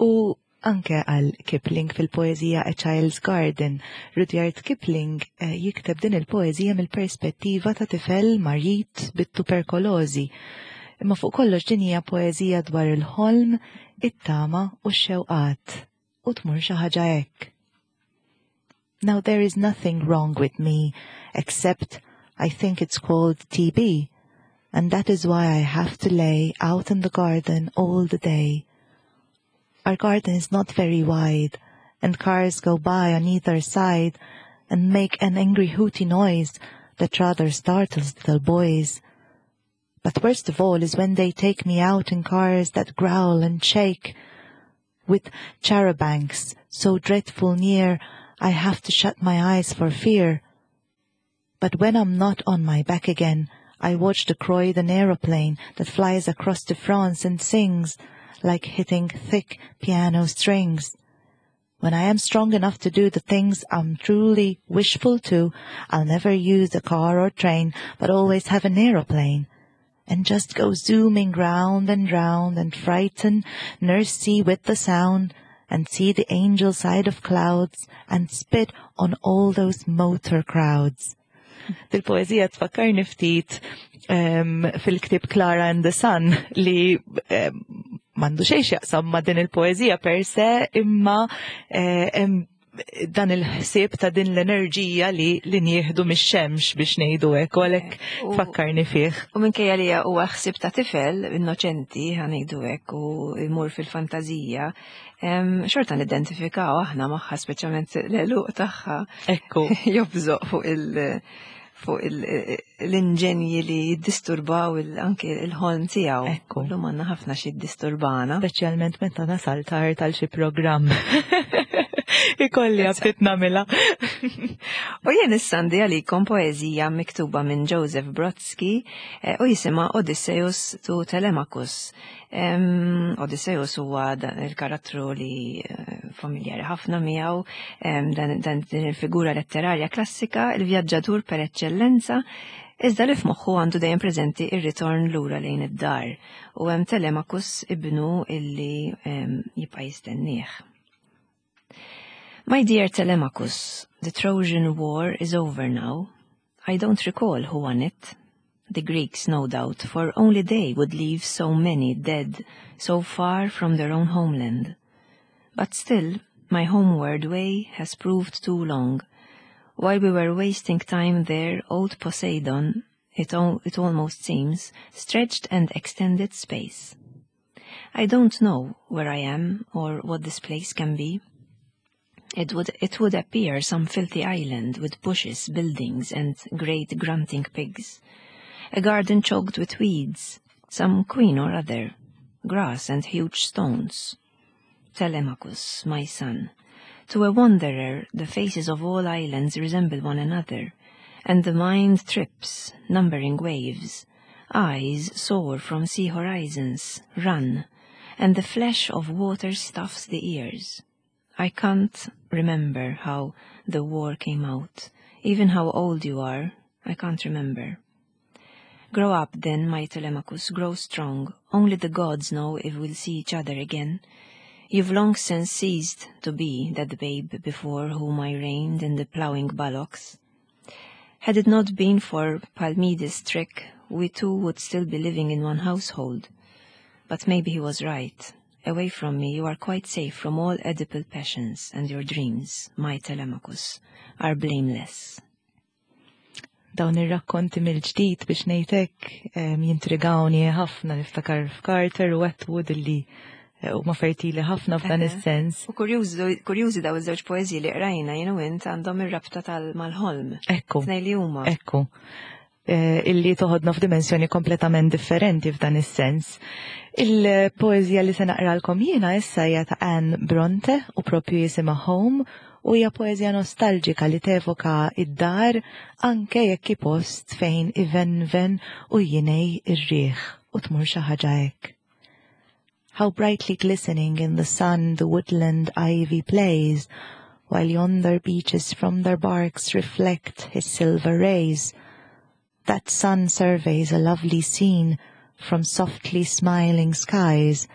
[SPEAKER 2] U anke għal Kipling fil-poeżija A Child's Garden, Rudyard Kipling eh, jikteb din il-poeżija mill-perspettiva ta' tifel marid bit-tuberkolożi. Imma fuq kollox din hija poeżija dwar il-ħolm, it-tama u x-xewqat u tmur xi ħaġa hekk. Now there is nothing wrong with me except I think it's called TB and that is why I have to lay out in the garden all the day. Our garden is not very wide and cars go by on either side and make an angry hooty noise that rather startles little boys. But worst of all is when they take me out in cars that growl and shake with charabancs so dreadful near I have to shut my eyes for fear. But when I'm not on my back again, I watch the Croydon aeroplane that flies across to France and sings like hitting thick piano strings. When I am strong enough to do the things I'm truly wishful to, I'll never use a car or train, but always have an aeroplane. And just go zooming round and round and frighten Nursey with the sound and see the angel side of clouds and spit on all those motor crowds. Dil-poezija tfakkarni ftit um, fil-ktib Clara and the Sun li um, mandu xejn x'jaqsam ma' din il-poezija per se imma eh, dan il-ħsieb ta' din l-enerġija li li nieħdu mix-xemx biex ngħidu hekk u għalhekk eh, fakkarni fih.
[SPEAKER 1] U minkejja li huwa ħsieb ta' tifel innoċenti ħa ngħidu hekk u jmur fil-fantażija, xorta nidentifikaw aħna magħha speċjalment l-għeluq tagħha.
[SPEAKER 2] Ekku.
[SPEAKER 1] Jobżoq fuq il- fuq l-inġenji li jiddisturbaw anke il-ħolm tiegħu.
[SPEAKER 2] Ekku.
[SPEAKER 1] Lum għandna ħafna xi jiddisturbana.
[SPEAKER 2] Speċjalment meta nasal tard għal xi programm. Ikolli għabtit namela.
[SPEAKER 1] U jien issa għandi għalikom poeżija miktuba minn Joseph Brodsky eh, u jisimha Odysseus to Telemachus. Odysseus huwa il-karattru li eh, familjari ħafna miegħu, dan din il-figura letterarja klassika, il-vjaġġatur per eċċellenza, iżda li f'moħħu għandu dejjem preżenti ir-ritorn lura lejn id-dar u hemm Telemachus ibnu illi jibqa' jistennieh. My dear Telemachus, the Trojan War is over now. I don't recall who won it. The Greeks, no doubt, for only they would leave so many dead so far from their own homeland. But still, my homeward way has proved too long. While we were wasting time there, old Poseidon, it, al it almost seems, stretched and extended space. I don't know where I am or what this place can be. It would, it would appear some filthy island with bushes, buildings, and great grunting pigs. A garden choked with weeds, some queen or other, grass and huge stones. Telemachus, my son, to a wanderer the faces of all islands resemble one another, and the mind trips, numbering waves. Eyes soar from sea horizons, run, and the flash of water stuffs the ears. I can't remember how the war came out, even how old you are, I can't remember. Grow up then, my Telemachus, grow strong. Only the gods know if we'll see each other again. You've long since ceased to be that babe before whom I reigned in the ploughing bullocks. Had it not been for Palmides' trick, we two would still be living in one household. But maybe he was right. Away from me, you are quite safe from all Oedipal passions and your dreams, my Telemachus, are blameless.
[SPEAKER 2] Dawn ir-rakkonti mill-ġdid biex ngħidlek jintrigawni ħafna niftakar f'Carter u Atwood illi eh, huma fertili ħafna f'dan is-sens.
[SPEAKER 1] U kurjużi daw iż-żewġ poeżiji li qrajna jien u int għandhom ir-rabta tal-mal-ħolm.
[SPEAKER 2] Ekku.
[SPEAKER 1] Tnej li huma.
[SPEAKER 2] Ekku. Eh, illi toħodna f'dimensjoni kompletament differenti f'dan is-sens. Il-poeżija li se naqralkom jiena issa hija ta' Anne Bronte u propju jisimha Home u hija poeżija nostalġika li tevoka id-dar anke jekk hi post fejn ivenven u jinej ir-riħ u tmur xi ħaġa hekk. How brightly glistening in the sun the woodland ivy plays, while yonder beeches from their barks reflect his silver rays. That sun surveys a lovely scene from softly smiling skies,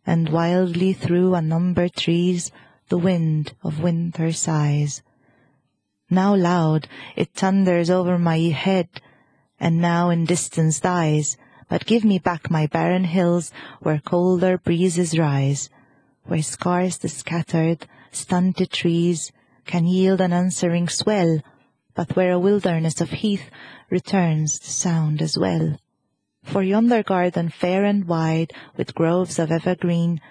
[SPEAKER 2] and wildly through unnumbered trees the wind of winter sighs. Now loud it thunders over my head, and now in distance dies, but give me back my barren hills where colder breezes rise, where scarce the scattered, stunted trees can yield an answering swell, but where a wilderness of heath returns the sound as well. For yonder garden fair and wide, with groves of evergreen,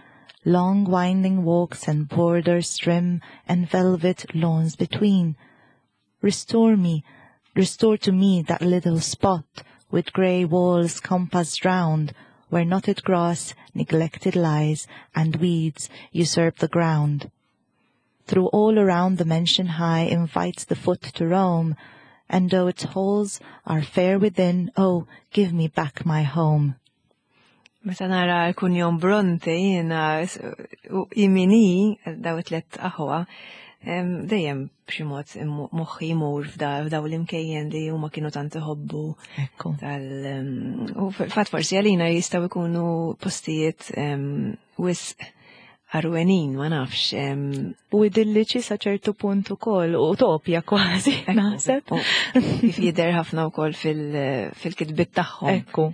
[SPEAKER 2] long winding walks and borders trim, and velvet lawns between, restore me, restore to me that little spot, with grey walls compassed round, where knotted grass neglected lies, and weeds usurp the ground. Through all around the mansion high invites the foot to roam, and though its halls are fair within, oh, give me back my home.
[SPEAKER 1] Meta nara l-kunjom Bronte jiena u imini daw it-tlet aħwa, dejjem b'xi mod moħħi jmur f'daw l-imkejjen li huma kienu tant iħobbu.
[SPEAKER 2] Ekku.
[SPEAKER 1] U fil-fatt forsi għalina jistgħu jkunu postijiet wisq għarwenin, ma nafx.
[SPEAKER 2] U idilliċi sa ċertu punt ukoll, utopja kważi, naħseb.
[SPEAKER 1] Kif jidher ħafna wkoll fil-kitbiet tagħhom.
[SPEAKER 2] Ekku.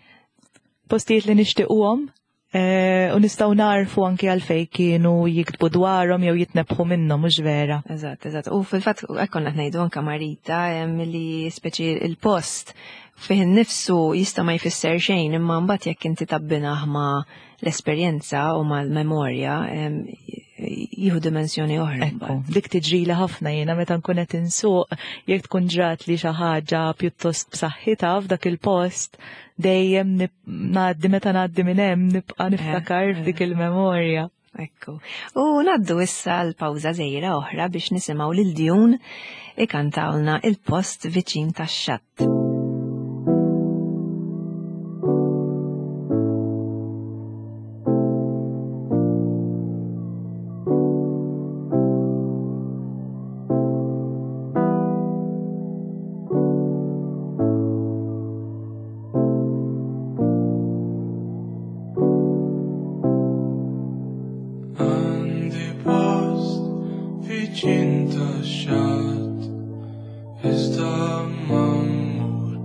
[SPEAKER 2] Postijiet li nixtiequhom u nistgħu narfu anki għalfejn kienu jiktbu dwarhom jew jitnebħu minnhom, mhux vera.
[SPEAKER 1] Eżatt, eżatt. U fil-fatt hekk konna ngħidu anke Marita li speċi il-post fih innifsu jista' ma jfisser xejn, imma mbagħad jekk inti tabbinah ma' l-esperjenza u mal-memorja jieħu dimensjoni oħra.
[SPEAKER 2] Ekku, dik tiġrili ħafna jiena meta nkun qed insuq, jekk tkun ġrat li xi ħaġa pjuttost b'saħħitha f'dak il-post, dejjem ngħaddi meta ngħaddi minn hemm nibqa' niftakar f'dik il-memorja.
[SPEAKER 1] Ekku. U ngħaddu issa l-pawża żgħira oħra biex nisimgħu lil Djun ikantawlna il-post viċin tax-xatt.
[SPEAKER 5] Għandi post viċin tax-xatt, iżda ma mmur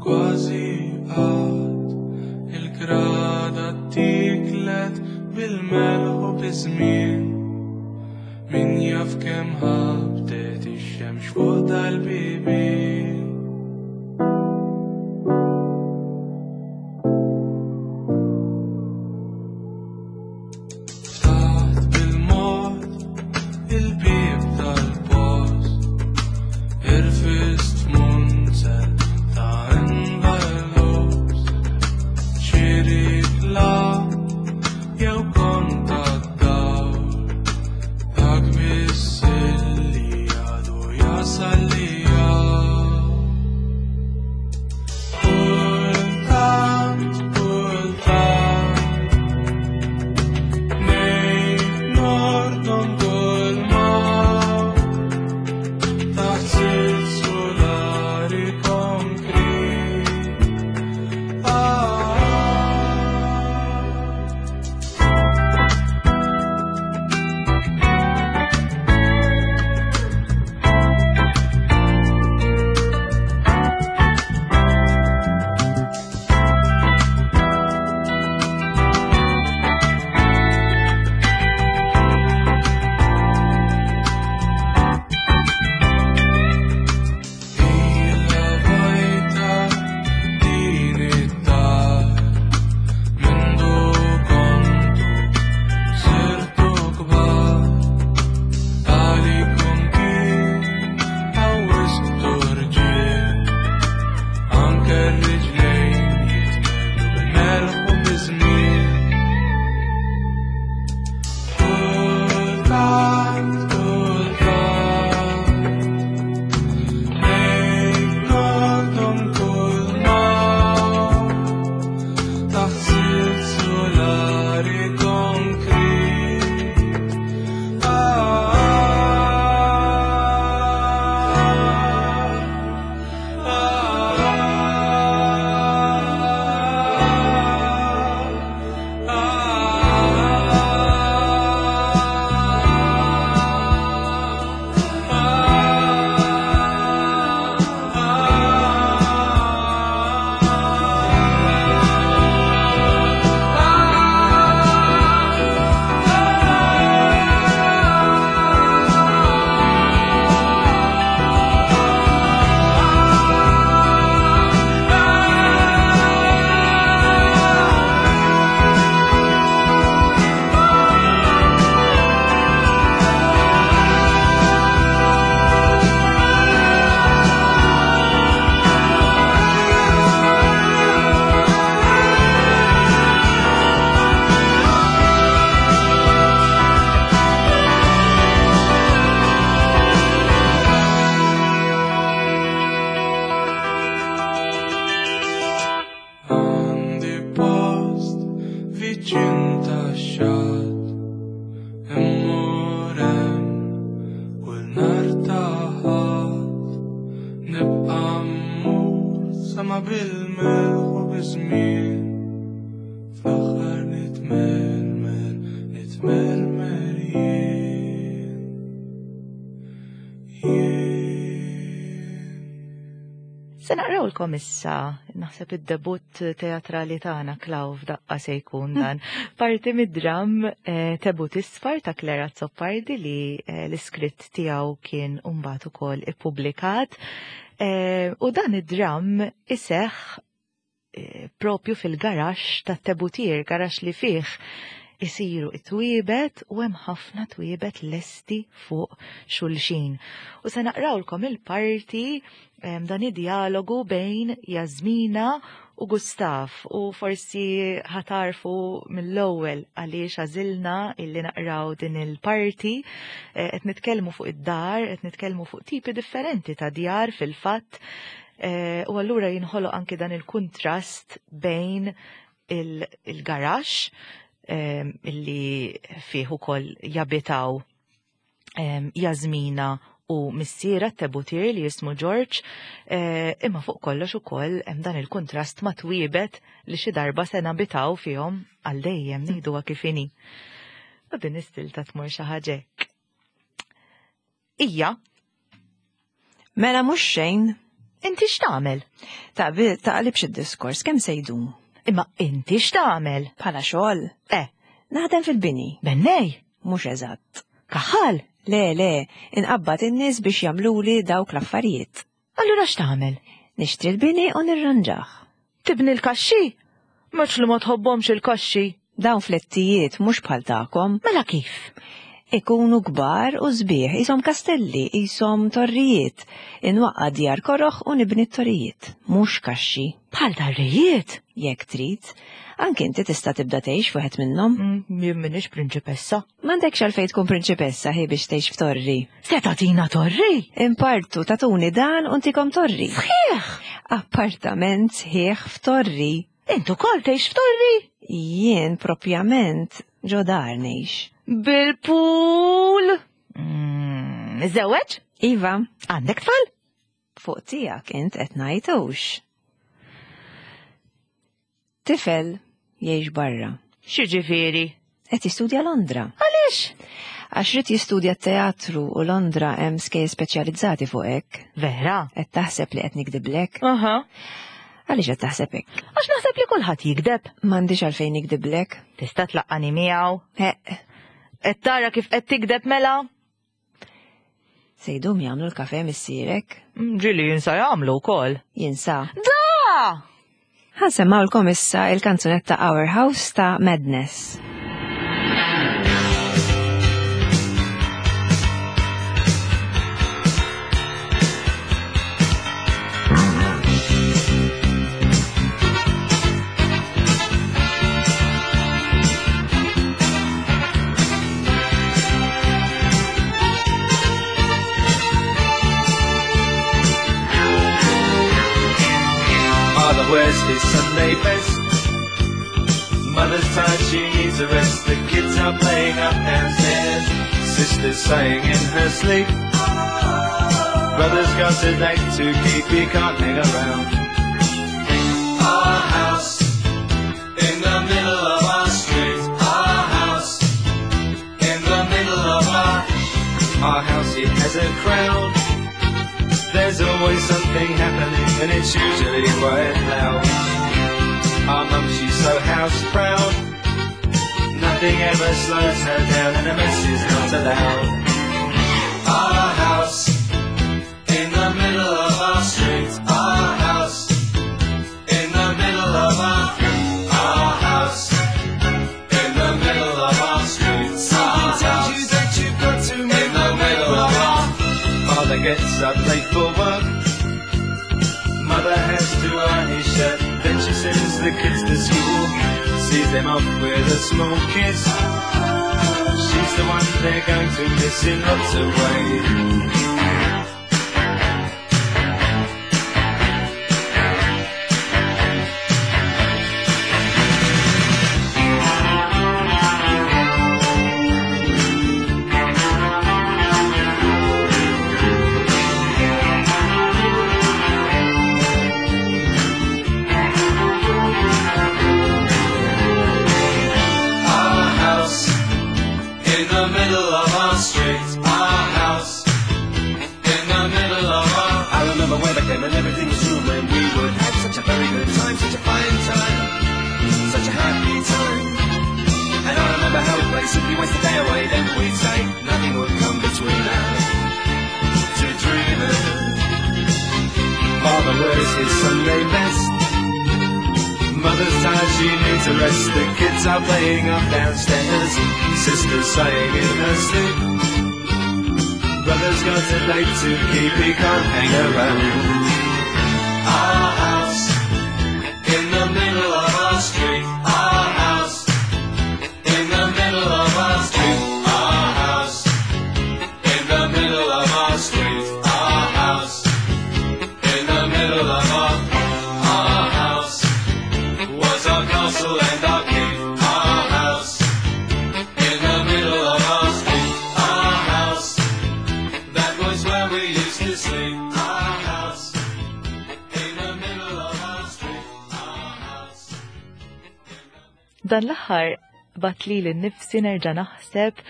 [SPEAKER 5] kważi qatt. Il-grada tiklet bil-melħ u biż-żmien, min jaf kemm ħabtet ix-xemx fuq dal-bibien. Ftaħt bil-mod il-bieb tal-post, irfist f'munzel ta' envelopes, xi riklam jew kont tad-dawl, dak biss illi għadu jasal li hawn. Viċin tax-xatt immur hemm kull nhar ta' Ħadd. Nibqa' mmur sama bil-melħ u biż-żmien. Fl-aħħar nitmermer, nitmermer jien. Jien.
[SPEAKER 2] Se naqrawlkom issa, naħseb id-debutt teatrali tagħna Klaw f'daqqa se jkun dan. Parti mid-dram eh, Tebut Isfar ta' Clara Azzopardi li eh, l-iskritt tiegħu kien mbagħad ukoll ippubblikat. Eh, u dan id-dram iseħħ propju fil-garaxx tat-tebutier, garaxx li fih isiru it-twiebet u hemm ħafna twiebet lesti fuq xulxin. U se naqrawlkom il-parti dan id-dialogu bejn Jasmina u Gustav u forsi ħatarfu mill-ewwel għaliex għażilna illi naqraw din il-parti eh, qed nitkellmu fuq id-dar, qed nitkellmu fuq tipi differenti ta' djar fil-fatt Eh, u allura jinħoloq anki dan il-kuntrast bejn il-garax eh, illi fih ukoll jabitaw eh, Jasmina u missiera t-tebutir li jismu George, imma fuq kollox ukoll hemm dan il-kuntrast ma' twiebet li xi darba se nabitaw fihom għal dejjem ngħiduha kif inhi. U din istilta tmur xi ħaġa hekk. Ija.
[SPEAKER 1] Mela mhux xejn.
[SPEAKER 2] Inti x'tagħmel?
[SPEAKER 1] Taqlibx id-diskors kemm se jdum.
[SPEAKER 2] Imma inti x'tagħmel?
[SPEAKER 1] Bħala xogħol?
[SPEAKER 2] Eh.
[SPEAKER 1] Naħdem fil-bini.
[SPEAKER 2] Bennej?
[SPEAKER 1] Mhux eżatt.
[SPEAKER 2] Kaħal?
[SPEAKER 1] Le, le, inqabbad in-nies biex jagħmluli dawk l-affarijiet.
[SPEAKER 2] Allura x'tagħmel?
[SPEAKER 1] Nixtri l-bini u nirranġah.
[SPEAKER 2] Tibni l-kaxxi? Mhux li ma tħobbhomx il-kaxxi.
[SPEAKER 1] Dawn flettijiet mhux bħal tagħkom.
[SPEAKER 2] Mela kif?
[SPEAKER 1] Ikunu kbar u sbieħ, qishom kastelli, qishom torrijiet. Inwaqqa' djar koroh u nibni t-torrijiet, mhux kaxxi.
[SPEAKER 2] Bħal darrijiet?
[SPEAKER 1] Jekk trid. Anki inti tista' tibda tgħix f'wieħed minnhom.
[SPEAKER 2] Mm, jien m'iniex prinċipessa.
[SPEAKER 1] M'għandekx għalfejn tkun prinċipessa hi biex tgħix f'torri.
[SPEAKER 2] Se tagħtina torri?
[SPEAKER 1] Impartu tagħtuni dan u ntikom torri.
[SPEAKER 2] Sħiħ!
[SPEAKER 1] Appartament sħiħ f'torri.
[SPEAKER 2] Int ukoll tgħix f'torri?
[SPEAKER 1] Jien propjament ġo dar ngħix.
[SPEAKER 2] Bil-pool? Mm, Iżżewweġ?
[SPEAKER 1] Iva.
[SPEAKER 2] Għandek tfal?
[SPEAKER 1] Fuq tiegħek int qed ngħid hux. Tifel jgħix barra.
[SPEAKER 2] X'jiġifieri?
[SPEAKER 1] Qed jistudja Londra.
[SPEAKER 2] Għaliex?
[SPEAKER 1] Għax ried jistudja t-teatru u Londra hemm skejjel speċjalizzati fuq hekk.
[SPEAKER 2] Vera?
[SPEAKER 1] Qed taħseb li qed nikdiblek?
[SPEAKER 2] Aha.
[SPEAKER 1] Għaliex qed taħseb hekk?
[SPEAKER 2] Għax naħseb li kulħadd jigdeb.
[SPEAKER 1] M'għandix għalfejn nikdiblek.
[SPEAKER 2] Tista' tlaqqani miegħu?
[SPEAKER 1] Heq.
[SPEAKER 2] Qed tara kif qed tigdeb mela?
[SPEAKER 1] Se jdum jagħmlu l-kafe missierek?
[SPEAKER 2] Mm, ġili jinsa jagħmlu wkoll.
[SPEAKER 1] Jinsa.
[SPEAKER 2] Da!
[SPEAKER 1] Ħansemmawlkom issa il-kanzunetta Our House ta' Madness.
[SPEAKER 5] Father wears his Sunday best. Mother's tired, she needs a rest. The kids are playing up downstairs. Sister's sighing in her sleep. Brother's got a date to keep, he can't hang around. Our house in the middle of our street. Our house in the middle of our house. It has a crowd. There's always something happening, and it's usually quite loud. Our mum, she's so house proud. Nothing ever slows her down, and a mess is not allowed. Our house in the middle of our street. Our house in the middle of our house in the middle of our street. Something tells you that you've got to in the middle of our. Father gets up late for work. Mother has to iron his shirt. Then she sends the kids to school. Sees them off with a small kiss. She's the one they're going to miss in lots of ways. You waste the day away, then we'd say nothing would come between us. Two dreamers. Father wears his Sunday best. Mother's tired, she needs a rest. The kids are playing up downstairs. Sister's sighing in her sleep. Brother's got a date to keep, he can't hang around. Our house in the middle of our street. Our house in the middle of our street. Our house in the middle of our street. Our house in the middle of our house was our castle and our keep. Our house in the middle of our street. Our house, that was where we used to sleep. Our house in the middle of our street. Our house.
[SPEAKER 2] Dan l-aħħar bat li l-nifsi nerġa' naħseb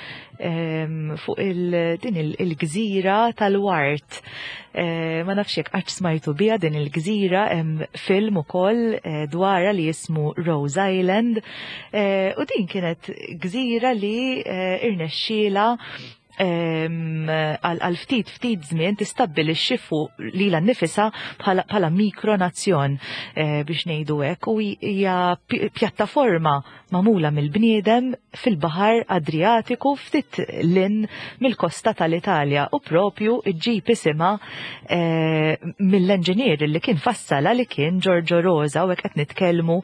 [SPEAKER 2] fuq din il-gżira tal-Wart. Ma nafx jekk qatt smajtu biha din il-gżira, hemm film ukoll dwarha li jismu Rose Island. U din kienet gżira li irnexxiela għal ftit ftit żmien tistabbilixxi fuq lilha nnifisha bħala mikronazzjon biex ngħidu hekk, u hija pjattaforma magħmula mill-bniedem fil-Baħar Adriatiku ftit lin mill-kosta tal-Italja, u propju ġġib isimha mill-enġinier li kien fassala li kien Giorgio Rosa, u hekk qed nitkellmu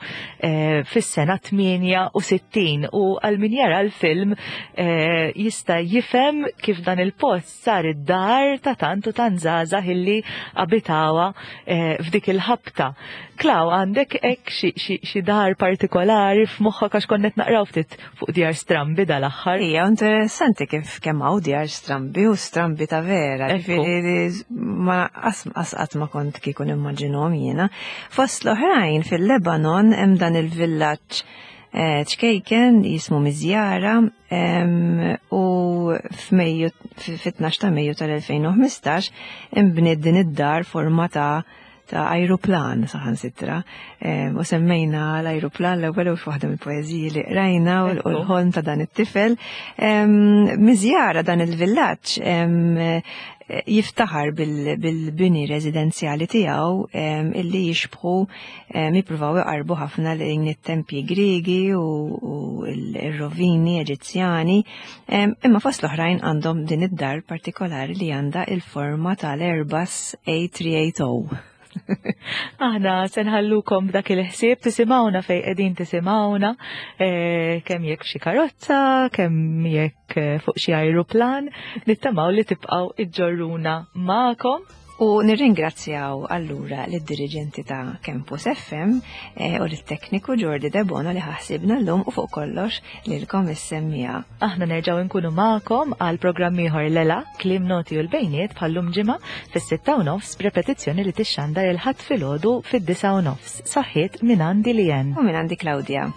[SPEAKER 2] fis-sena 68, u għal min jara l-film jista' jifhem kif dan il-post sar id-dar ta' tant u tant żgħażagħ illi abitawa f'dik il-ħabta. Klaw, għandek hekk xi dar partikolari f'moħħok għax konna qed naqraw ftit fuq djar strambi dal-aħħar?
[SPEAKER 1] Hija interessanti kif kemm hawn djar strambi u strambi ta' vera, ġifieri ma qatt ma kont kieku nimmaġinhom jiena. Fost l-oħrajn fil-Lebanon hemm dan il-villaġġ ċkejken jismu Miżjara, u fit-12 ta' Mejju tal-2015 imbniet din id-dar forma ta' ajruplan saħansitra. U semmejna l-ajruplan l-ewwel u f'waħda mill-poeżiji li qrajna u l-ħolm ta' dan it-tifel. Miżjara dan il-villaġġ jiftaħar bil-bini residenzjali tiegħu illi jixbħu jippruvaw iqarbu ħafna lejn it-tempji Griegi u l-rovini Eġizzjani, imma fost l-oħrajn għandhom din id-dar partikolari li għandha il-forma tal-Airbus A380.
[SPEAKER 2] Aħna se nħallukom b'dak il-ħsieb, tisimgħuna fejn qegħdin tisimgħuna, kemm jekk f'xi karozza, kemm jekk fuq xi ajruplan, nittamaw li tibqgħu iġġorruna magħkom.
[SPEAKER 1] U nirringrazzjaw allura lid-diriġenti ta' Campus FM u lit-tekniku Jordi Debono li ħassibna llum u fuq kollox lilkom is-semmija.
[SPEAKER 2] Aħna nerġgħu nkunu magħkom għal programm ieħor Lela, Kliem Noti u l-Bejniet bħallum ġimgħa fis-sitta u nofs b'repetizzjoni li tixxandar il-Ħadd filgħodu fid-disgħa u nofs. Saħħiet minn għandi Lien.
[SPEAKER 1] U minn għandi Claudia.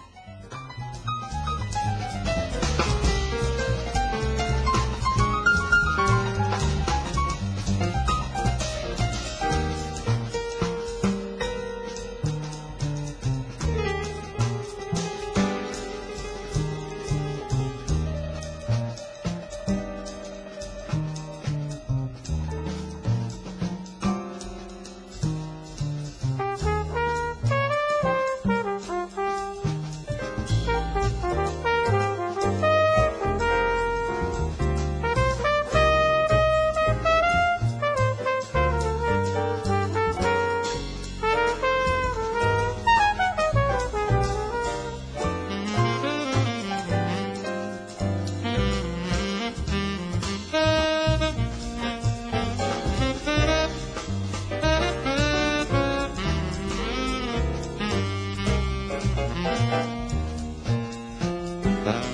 [SPEAKER 5] Bye.